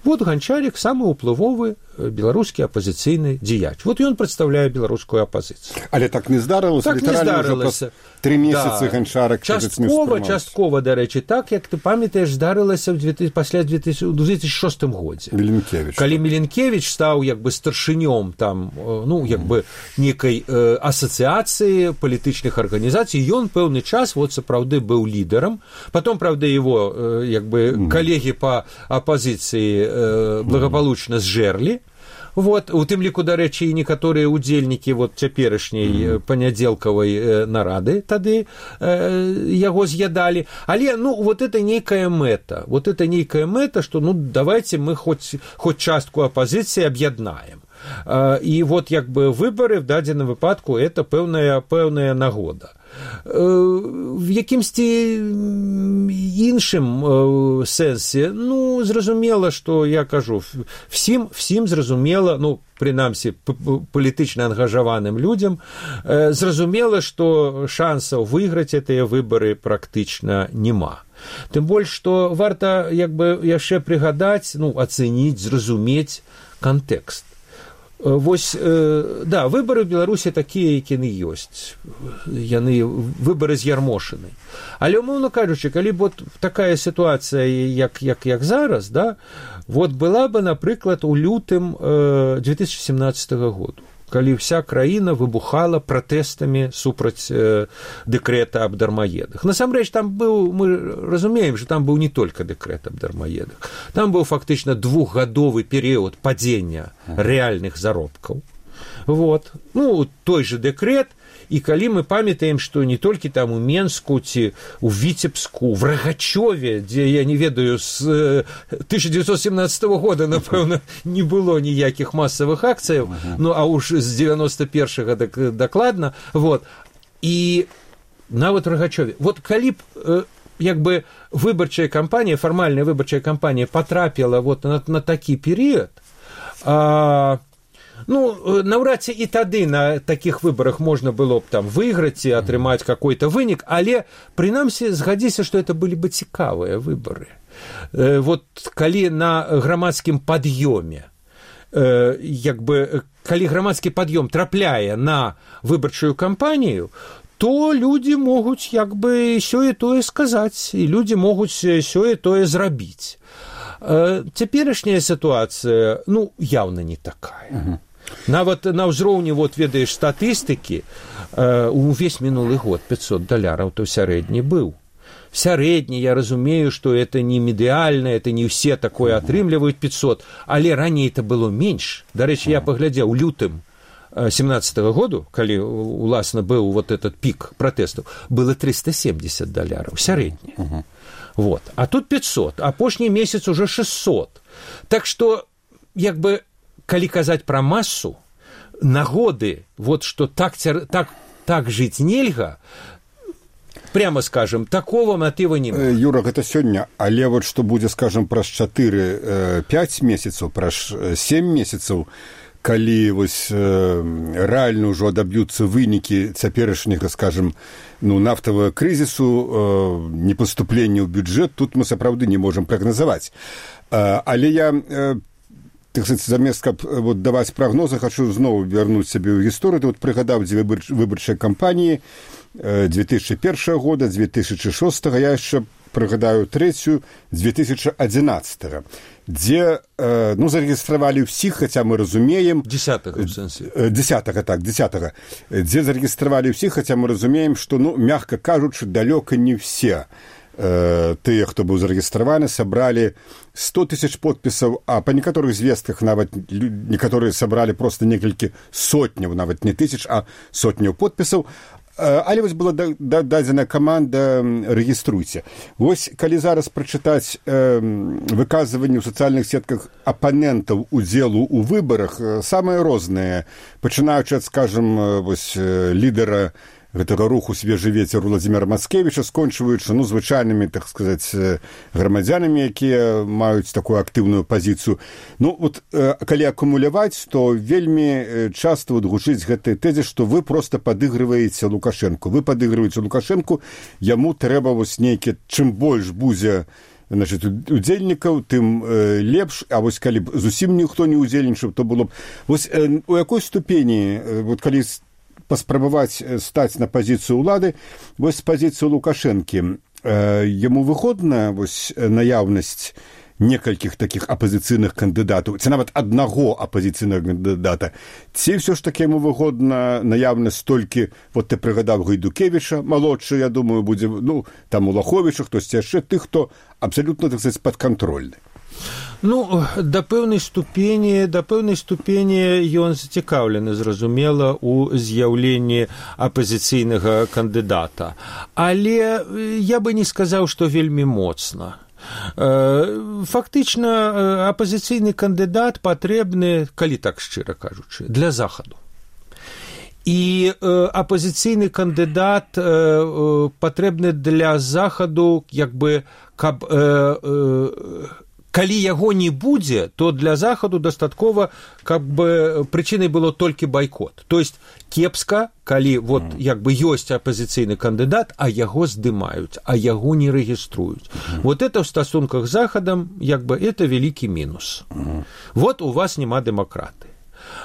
Вот Ганчарик самы ўплывовы беларускі апазіцыйны дзеяч. Вот ён прадстаўляе беларускую апазіцыю. Але так не здарылася, так не здарылася. Тры месяцы да. Ганчарик часткова, часткова, дарэчы, так, як ты памятаеш, здарылася пасля две тысячи шостым годзе. Міленкевіч. Калі Міленкевіч стаў як бы старшынём там, ну, як бы некай э, асацыяцыі палітычных арганізацый, ён пэўны час вот сапраўды быў лідарам. Потом, правда, его э, як бы mm. калегі па апазіцыі э, благополучна зжэрлі. Вот, у тым ліку, дарэчы, і некаторыя ўдзельнікі вот цяперашняй mm-hmm. панядзелкавай э, нарады тады э, яго з'ядалі. Але, ну, вот это нейкая мэта. Вот это нейкая мэта, што, ну, давайте мы хоць, хоць частку апазіцыі аб'яднаем. Э, і вот, як бы, выбары в дадзеным выпадку это пэўная, пэўная нагода. В якімсьці іншым сэнсе, ну, зразумела, што я кажу, всім, всім зразумела, ну, прынамсі палітычна ангажаваным людзям, зразумела, што шансаў выйграць гэтыя выбары практычна няма. Тым больш, што варта як бы яшчэ прыгадаць, ну, ацэніць, зразумець кантэкст. Вось, да, выбары ў Беларусі такія, якія яны ёсць. Яны выбары з'ярмошаны. Але, умоўна кажучы, калі б вот такая сітуацыя, як, як, як зараз, да, вот была бы, напрыклад, у лютым две тысячи семнадцатого году, калі вся краіна выбухала пратэстамі супраць э, дэкрэта аб дармаедах. Насамрэч, там быў, мы разумеем, што там быў не толькі дэкрэт аб дармаедах. Там быў фактычна двухгадовы перыяд падзення рэальных заробкаў. Вот. Ну, той же дэкрэт, і калі мы памятаем, што не толькі там у Менску ці у Віцебску, в Рагачове, дзе, я не ведаю, з тысяча девятьсот семнадцатого года, напэўна, не было ніякіх масавых акцыяў, uh-huh. ну, а уж з девяносто первого дакладна, вот, і нават в Рагачове. Вот калі б, як бы, выбарчая кампанія, фармальная выбарчая кампанія патрапіла вот на, на такі перыяд, а ну, наўрад ці і тады на такіх выбарах можна было б там выйграць і атрымаць какой-то вынік, але, прынамсі, згадзіся, што это былі бы цікавыя выбары. Э, вот калі на грамадскім пад'ёме, э, як бы, калі грамадскі пад'ём трапляе на выбарчую кампанію, то людзі могуць, як бы, сёе-тое сказаць, і людзі могуць сёе-тое зрабіць. Э, цяперашняя сітуацыя, ну, яўна не такая. Uh-huh. Нават на ўзроўні, вот, ведаеш, статыстыкі, э, увесь мінулы год пятьсот даляраў то сярэдні быў. Сярэдні, я разумею, што это не ідэальна, это не ўсе такое атрымліваюць пятьсот, але раней это было менш. Дарэчы, я паглядзеў у лютым семнадцатого году, калі, уласна, быў вот этот пік пратэстаў, было триста семьдесят даляраў, сярэдні. Uh-huh. Вот. А тут пятьсот, апошні месяц уже шестьсот. Так што, як бы, калі казаць пра масу, нагоды, вот што так, так, так жыць нельга, прямо скажем, такого матыва не мае. Юра, гэта сёння, але вот што будзе, скажем, праз чатыры-пяць месяцаў, праз сем месяцаў, калі вось э, рэальна ўжо адаб'юцца вынікі цяперашняга, скажем, ну, нафтавага крызісу, э, непаступлення ў бюджэт, тут мы сапраўды не можам прагназаваць. Э, але я... Э, Так сказать, замест, каб вот, даваць прагнозы, хочу зноў вярнуць сябе ў гісторыю. Ты вот прыгадаў дзве выбар... выбарчыя кампаніі две тысячи первого года, две тысячи шестого, я яшчэ прыгадаю трэцюю, две тысячи одиннадцатого, дзе, э, ну, зарэгістравалі ўсіх, хаця мы разумеем... Десятага, в сэнсе. Десятага, так, десятага. Дзе зарэгістравалі ўсіх, хаця мы разумеем, што, ну, мягка кажучы, далёка не все тыя, хто быў зарэгістраваны, сабралі сто тысяч подпісаў, а па некаторых звестках нават некаторыя сабралі проста некалькі сотняў, нават не тысяч, а сотняў подпісаў. Але вось была дадзена каманда «Рэгіструйце». Вось, калі зараз прачытаць выказванні ў сацыяльных сетках апанентаў удзелу ў выбарах, самыя розныя, пачынаючы ад, скажам, вось, лідара гэтага руху «Свежы вецер» Владзіміра Мацкевіча, скончваючы, ну, звычайнымі, так сказаць, грамадзянамі, якія маюць такую актыўную пазіцыю. Ну, вот, калі акумуляваць, то вельмі часта вот гучыць гэтай тэзе, што вы проста падыгрываеце Лукашэнку. Вы падыгрываеце Лукашэнку, яму трэба вось нейкі, чым больш будзе, значит, удзельнікаў, тым э, лепш, а вось калі б зусім ніхто не удзельнічаў, то было б... Вось э, у якой ступені, э, вот калі паспрабаваць стаць на пазіцыю ўлады, вось з пазіцыі Лукашэнкі, э, яму выгодна вось наяўнасць некалькіх такіх апазіцыйных кандыдатаў, ці нават аднаго апазіцыйнага кандыдата, ці ўсё ж такі яму выгодна наяўнасць толькі, вот ты прыгадаў Гайдукевіча, малодшы, я думаю, будзе, ну, там Улаховіча, хтосьці яшчэ, тых, хто абсалютна, так сказаць, падкантрольны. Ну, да пэўнай ступені, да пэўнай ступені ён зацікаўлены, зразумела, у з'яўленні апазіцыйнага кандыдата. Але я бы не сказаў, што вельмі моцна. Фактычна, апазіцыйны кандыдат патрэбны, калі так шчыра кажучы, для захаду. І апазіцыйны кандыдат патрэбны для захаду, як бы, каб калі яго не будзе, то для захаду дастаткова, каб бы прычынай было толькі байкот. То есть кепска, калі вот як бы ёсць апазіцыйны кандыдат, а яго здымаюць, а яго не рэгіструюць. Вот это в стасунках з захадам, як бы это вялікі мінус. Вот у вас няма дэмакраты.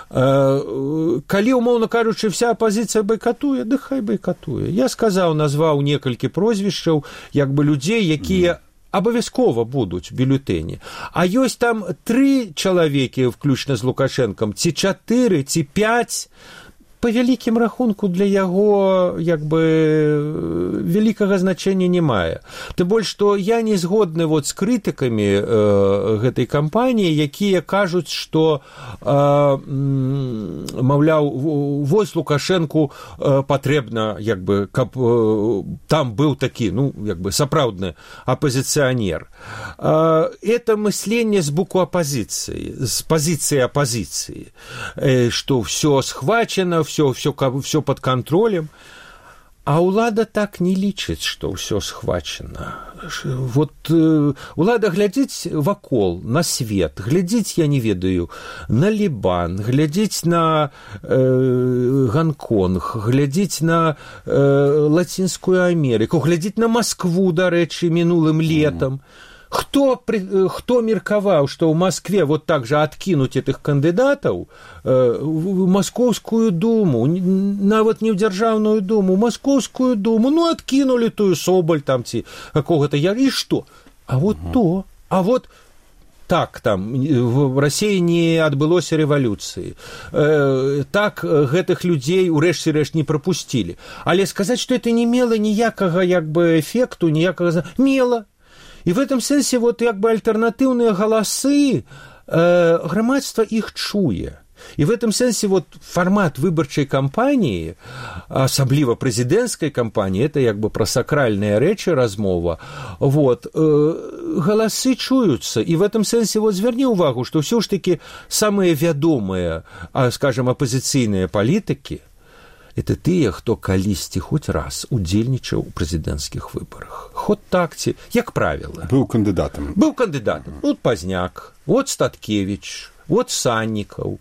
Калі, умоўна кажучы, вся апазіцыя байкатуе, ды хай байкатуе. Я сказаў, назваў некалькі прозвішчаў, як бы людзей, якія абавязкова будуць бюлетэні. А ёсць там тры чалавекі, включна з Лукашэнкам, ці чатыры, ці пяць, па вялікім рахунку для яго як бы вялікага значэння не мае. Тым больш, што я не згодны вот з крытыкамі э, гэтай кампаніі, якія кажуць, што э, маўляў, вось Лукашэнку э, патрэбна, як бы, каб э, там быў такі, ну, як бы, сапраўдны апазіцыянер. Э, это мысленне з боку апазіцыі, з пазіцыі апазіцыі, э, што ўсё схвачана, все, все, все под контролем, а улада так не лічыць, што ўсё схвачана. Вот э, улада глядзіць вакол, на свет, глядзіць, я не ведаю, на Лібан, глядзіць на э, Гонконг, глядзіць на э, Лацінскую Амерыку, глядзіць на Маскву, дарэчы, мінулым летам. Хто, хто меркаваў, што ў Маскве вот так же адкінуць этых кандыдатаў э, в Маскоўскую думу, нават не ў дзяржаўную думу, Маскоўскую думу, ну, адкінулі тую Соболь там ці какого-то я, і што? А вот угу. то, а вот так там в Расіі не адбылося рэвалюцыі. Э, так гэтых людзей урэшце рэшт не прапусцілі. Але сказаць, што это не мела ніякага як бы эфекту, ніякага мела. И в этом сенсе вот як бы альтернативные голосы, э, громадство их чуе. И в этом сенсе вот формат выборчей кампании, особливо президентской кампании, это як бы про сакральные речи размова, вот, э, голосы чуются. И в этом сенсе вот зверни увагу, что все ж таки самые вядомые, скажем, оппозиционные политики, это тыя, хто калісьці хоць раз удзельнічаў у прэзідэнцкіх выбарах. Хоць так ці, як правіла. Быў кандыдатам. Быў кандыдатам. Вот Пазняк, вот Статкевіч, вот Саннікаў.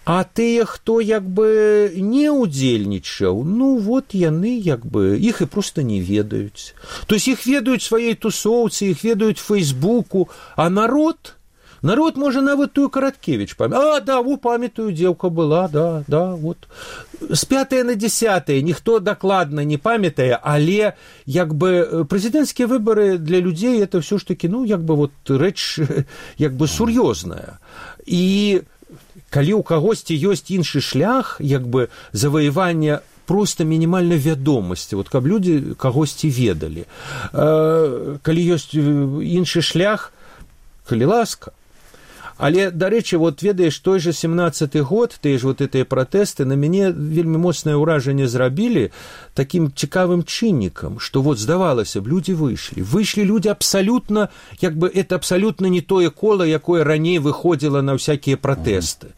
А тыя, хто як бы не удзельнічаў, ну вот яны як бы, іх і проста не ведаюць. То есть іх ведаюць сваёй тусоўцы, іх ведаюць Фейсбуку, а народ... Народ, можа, нават тую Караткевіч памятае. А, да, во, памятаю, дзеўка была, да, да, вот. З пятае на дзесятае ніхто дакладна не памятае, але як бы прэзідэнцкія выбары для людзей это ўсё ж такі, ну, як бы вот рэч як бы сур'ёзная. І калі ў кагосьці ёсць іншы шлях, як бы заваявання просто мінімальна вядомасці, вот каб людзі кагосьці ведалі. Калі ёсць іншы шлях, калі ласка. Але, дарэчы, вот ведаеш, той же семнадцаты год, тыя ж вот гэтыя пратэсты на мяне вельмі моцнае ўражанне зрабілі такім цікавым чыннікам, што вот здавалася б, людзі выйшлі. Выйшлі людзі абсалютна, як бы это абсалютна не тое кола, якое раней выходзіла на ўсякія пратэсты.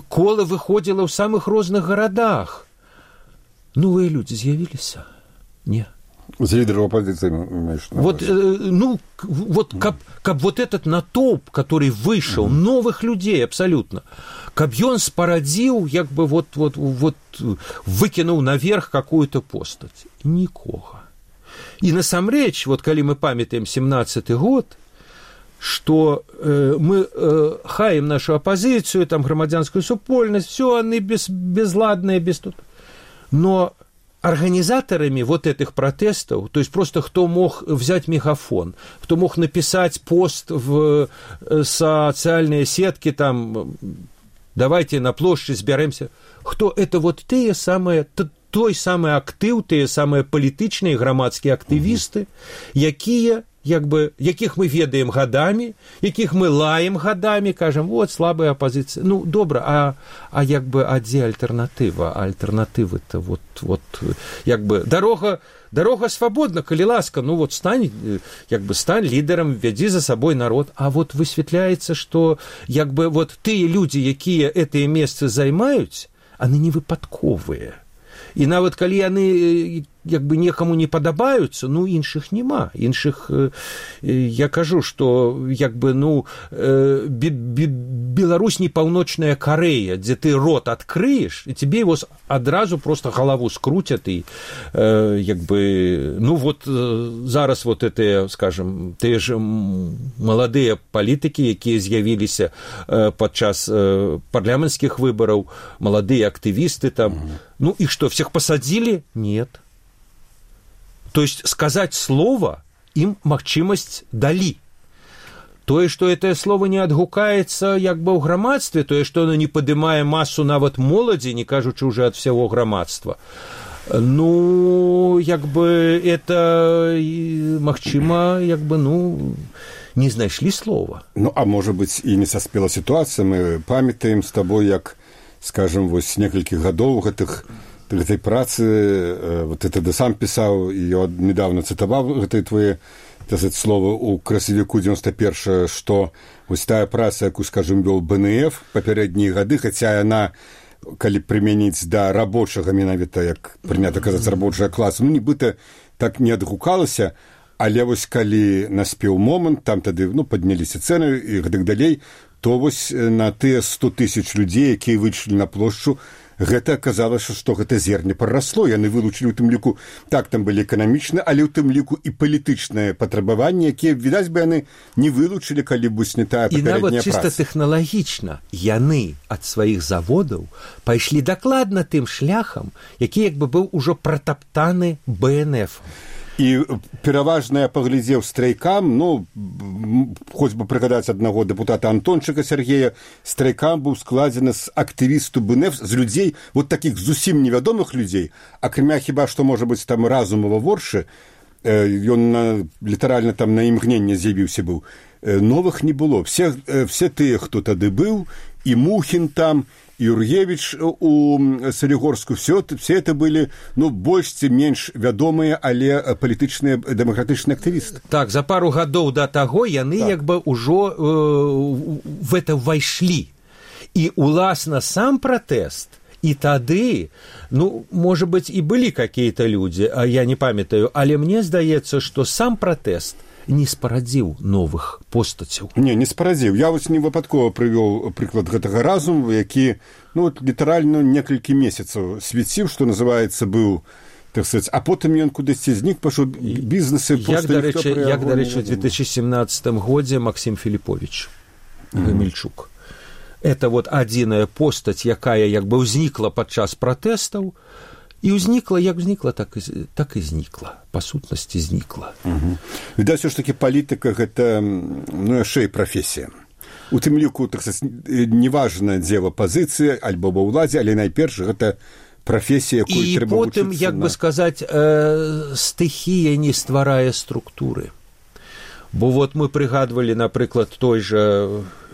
Кола выходзіла ў самых розных гарадах. Новыя людзі з'явіліся? Не. За лидеров оппозиции. Вот, э, ну, вот, каб, каб вот этот натоўп, который вышел, mm-hmm. новых людей абсолютно, каб ён спарадзіў, як бы вот, вот, вот выкинул наверх какую-то постать. Никога. И насамрэч, вот калі мы памятаем семнадцаты год, что э, мы э, хаем нашу оппозицию, там громадянскую супольность, все они без, безладные, без тут. Но организаторами вот этих протестов, то есть просто кто мог взять мегафон, кто мог написать пост в социальные сетки, там, давайте на площадь сберемся, кто это вот те самые, той самый актыў, те самые палітычныя грамадскія актывісты, якія як бы, якіх мы ведаем гадамі, якіх мы лаем гадамі, кажам, вот, слабая апозіцыя. Ну, добра, а, а як бы, а дзе альтэрнатыва? А альтэрнатывы-то, вот, вот, як бы, дарога, дарога свабодна, калі ласка, ну, вот, стань, як бы, стань лідарам, вядзі за сабой народ. А вот высвятляецца, што, як бы, вот, тыя людзі, якія гэтыя месцы займаюць, яны не выпадковыя. І нават калі яны як бы некаму не падабаюцца, ну іншых няма, іншых э, я кажу, што як бы ну э, Беларусь не паўночная Карэя, дзе ты рот адкрыеш і тебе его адразу просто галаву скруцят і э, як бы ну вот э, зараз вот это, скажем, тыя ж маладыя палітыкі, якія з'явіліся э, падчас э, парламенцкіх выбараў, маладыя актывісты там, mm-hmm. ну и что, всех посадили? Нет. То есть сказать слово им магчымасць далі. Тое, што гэтае слово не адгукаецца як бы ў грамадстве, тое, што оно не падымае масу нават моладзі, не кажучы уже ад всяго грамадства, ну, як бы это магчыма, як бы, ну, не знайшлі слова. Ну, а можа быць, і не саспела сітуацыя, мы памятаем з табой, як, скажем, вось некалькі гадоў гэтых гэтай працы, вот это ты сам пісаў, і я недавно цытаваў гэтыя твои слова у красавіку девяносто первого, што вось тая праца, якую, скажем, вёл бэ эн эф папярэднія гады, хаця яна, калі прымяніць да рабочага менавіта, як прынята казаць, рабочага класа, ну, нібыта так не адгукалася, але вось калі наспеў момант, там тады, ну, падняліся цэны і гэтак далей, то вось на тыя сто тысяч людзей, якія выйшлі на плошчу, гэта аказалася, што гэта зерне прарасло. Яны вылучылі ў тым ліку, так, там былі эканамічныя, але ў тым ліку і палітычныя патрабаванні, якія, відаць бы, яны не вылучылі, калі б не тая папярэдняя праца. І нават чыста тэхналагічна яны ад сваіх заводаў пайшлі дакладна тым шляхам, які як бы быў ужо пратаптаны бэ эн эф-ом. І пераважна я паглядзеў страйкам, ну, хоць бы прыгадаць аднаго дэпутата Антончыка Сергея, страйкам быў складзены з актывісту бэ эн эф, з людзей, вот такіх зусім невядомых людзей, акрамя хіба што, можа быць, там Разумова Воршы, ён на, літаральна там на імгненне з'явіўся быў, новых не было. Все, все тыя, хто тады быў, і Мухін там, Юргевич у Солігорску, все, все это были, ну, больш ці менш вядомыя, але палітычныя дэмакратычныя актывісты. Так, за пару гадоў да таго яны так. як бы ўжо э, в это ўвайшлі. І, уласна, сам пратэст, і тады, ну, можа быць, і былі какие-то людзі, а я не памятаю, але мне здаецца, што сам пратэст не спарадзіў новых постацяў. Не, не спарадзіў. Я вось не выпадкова прывёў прыклад гэтага Разуму, які, ну, літаральна некалькі месяцаў свяціў, што называецца, быў, так сказаць, а потым ён кудысьці знік, пашоў бізнесы проста як, ніхто прыягоў. Як, дарэчы, ў две тысячи семнадцатым годзе Максим Філіпович Гамельчук. Mm-hmm. Это вот адзіная постаць, якая як бы ўзнікла падчас пратэстаў, і ўзнікла, як узнікла, так і, так і знікла. Па сутнасці знікла. Угу. Відаць, ўсё ж такі палітыка гэта, ну, яшчэ і прафесія. У тым ліку, так сказаць, неважна, дзе в апазіцыі, альбо ва ўладзе, але найперш гэта прафесія, якую і трэба потым, вучыцца. Як на... бы сказаць, э, стыхія не стварае структуры. Бо вот мы прыгадвалі, напрыклад, той жа...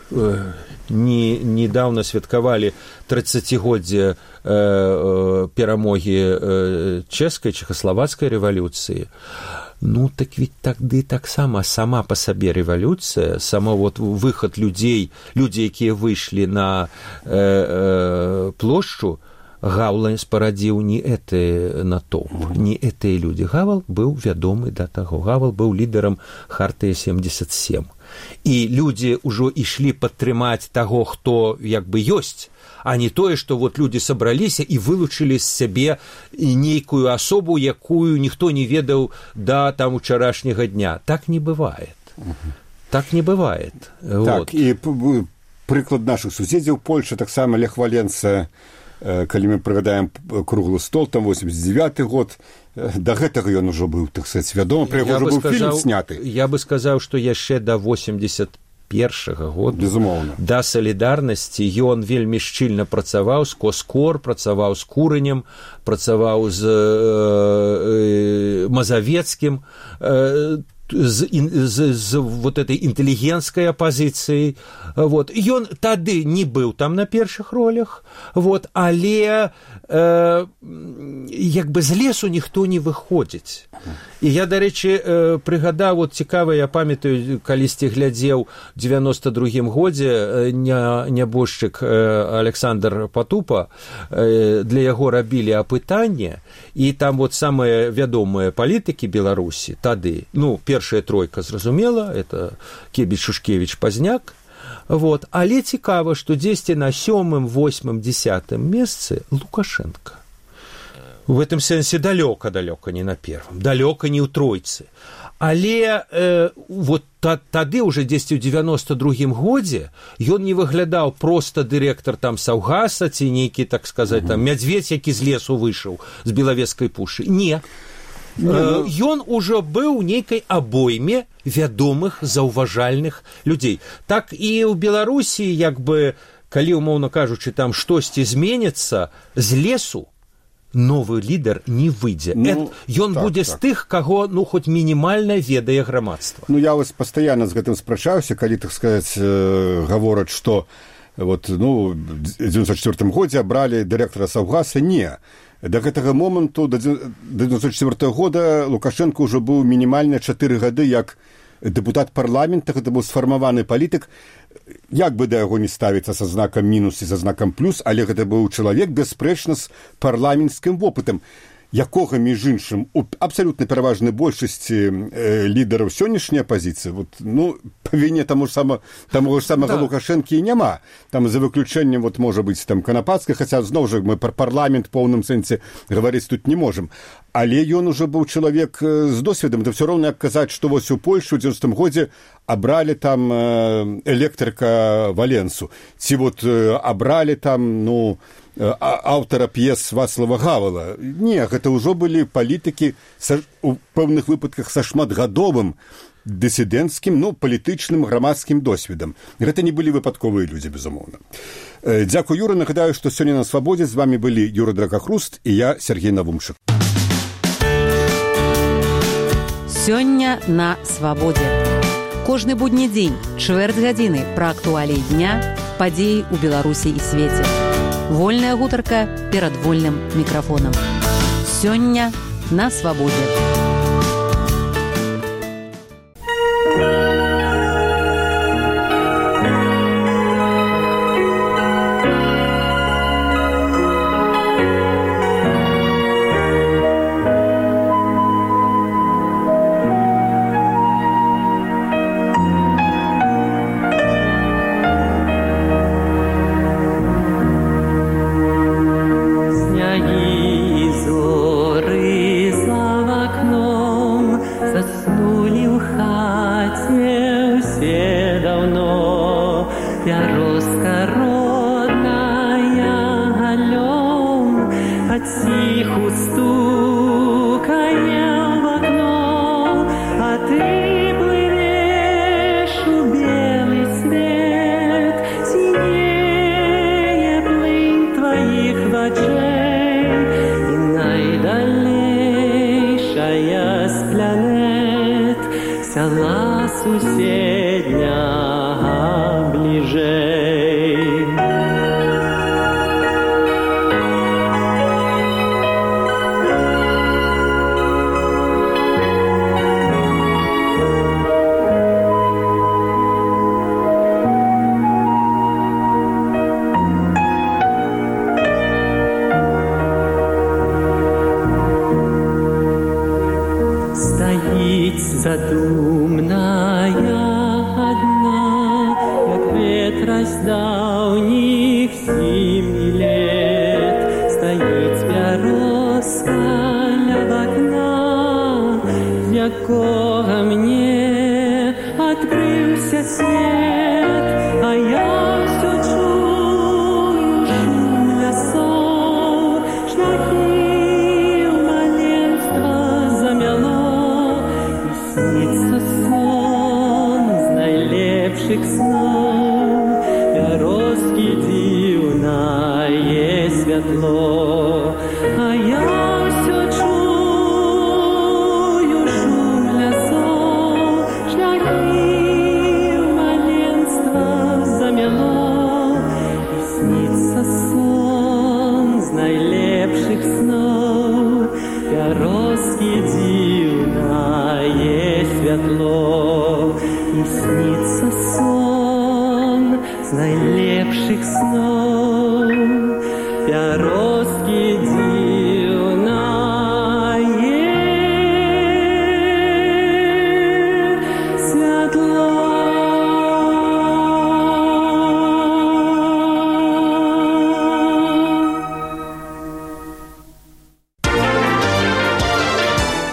Э, не, недавно святкавалі тридцатигоддзе э, э, перамогі э, чэшскай, чэхаславацкай рэвалюцыі. Ну, так ведь тады таксама сама па сабе рэвалюцыя, сама вот выхад людзей, людзі, якія выйшлі на э, э, плошчу, Гавал спарадзіў не гэты натоўп, не гэтыя людзі. Гавал быў вядомы да таго. Гавал быў лідарам Хартыі семьдесят семь. І людзі ўжо ішлі падтрымаць таго, хто як бы ёсць, а не тое, што вот людзі сабраліся і вылучылі з сябе нейкую асобу, якую ніхто не ведаў да там учарашняга дня. Так не бывает. Так не бывает. Так, вот. І прыклад нашых суседзяў, Польша, таксама Лех Валенца, калі мы прыгадаем круглы стол, там восемьдесят девятый год, да гэтага ён ужо быў, так сказаць, вядома, пра яго ўжо быў фільм сняты. Я бы сказаў, што яшчэ да восемьдесят первого года, безумоўна, да салідарнасці ён вельмі шчыльна працаваў з Коскор, працаваў з Курынем, працаваў з э, э, Мазавецкім, э, з, з, з вот этой інтэлігенцкай апазіцыяй. Вот. Ён тады не быў там на першых ролях, вот, але э, як бы з лесу ніхто не выходзіць. І я, дарэчы, э, прыгадаў, вот цікава, я памятаю, калісьці глядзеў у девяносто другім годзе ня, нябожчык э, Александр Патупа, э, для яго рабілі апытанне, і там вот самыя вядомыя палітыкі Беларусі тады, ну, першая тройка, зразумела, это Кебіч, Шушкевіч, Пазняк, вот, але цікава, што дзесьці на сёмым, восьмым, дзесятым месцы Лукашенко. В этом сэнсе далёка-далёка не на первым, далёка не ў тройцы. Але э, вот та, тады уже дзесьці ў девяносто другім годзе ён не выглядаў проста дырэктар там Саўгаса ці нейкі, так сказаць, там мядзведь, які з лесу выйшаў з Белавежскай пушы. Не. Э, ён ужо быў нейкай абойме вядомых, заўважальных людзей. Так і ў Беларусі, як бы, калі, умоўна кажучы, там штосьці зменіцца, з лесу новы лідар не выйдзе. Ну, ён так, будзе так. з тых, каго, ну, хоць мінімальна ведае грамадства. Ну, я вось пастаянна з гэтым спрачаўся, калі, так сказаць, э, гавораць, што вот, ну, ў дзевяносто четвёртым годзе абралі дырэктара Саўгаса. Не. Да гэтага моманту, да девяносто четвёртого года, Лукашенко ўжо быў мінімальна чатыры гады як дэпутат парламента, гэта быў сфармаваны палітык, як бы да яго не ставіцца са знакам мінус і са знакам плюс, але гэта быў чалавек, бясспрэчна, з парламенцкім вопытам, якога, між іншым, у абсалютна пераважнай большасці э, лідараў сённяшняй апазіцыі, вот, ну, па віне таму ж сама, таму ж самага да. Лукашэнкі і няма. Там за выключэннем, вот, можа быць, там, Канапацкай, хаця, зноў жа, мы пра парламент поўным сэнсе гаварыць тут не можам. Але ён ужо быў чалавек з досведам, да ўсё роўна як казаць, што вось у Польшу ў дзевяностым годзе абралі там электрыка Валенсу, ці вот абралі там, ну, аўтара п'ес Вацлава Гавала. Не, гэта ўжо былі палітыкі са, у пэўных выпадках са шматгадовым дысідэнцкім, ну, палітычным, грамадскім досведам. Гэта не былі выпадковыя людзі, безумоўна. Дзякуй, Юра. Нагадаю, што сёння на Свабодзе з вамі былі Юра Дракахруст і я, Сергей Навумшык. Сёння на Свабодзе. Кожны будні дзень, чвэрць гадзіны пра актуаліі дня, падзеі ў Беларусі і свеце. Вольная гутарка перад вольным мікрафонам. Сёння на Свабодзе. Якога мне адкрыўся свет.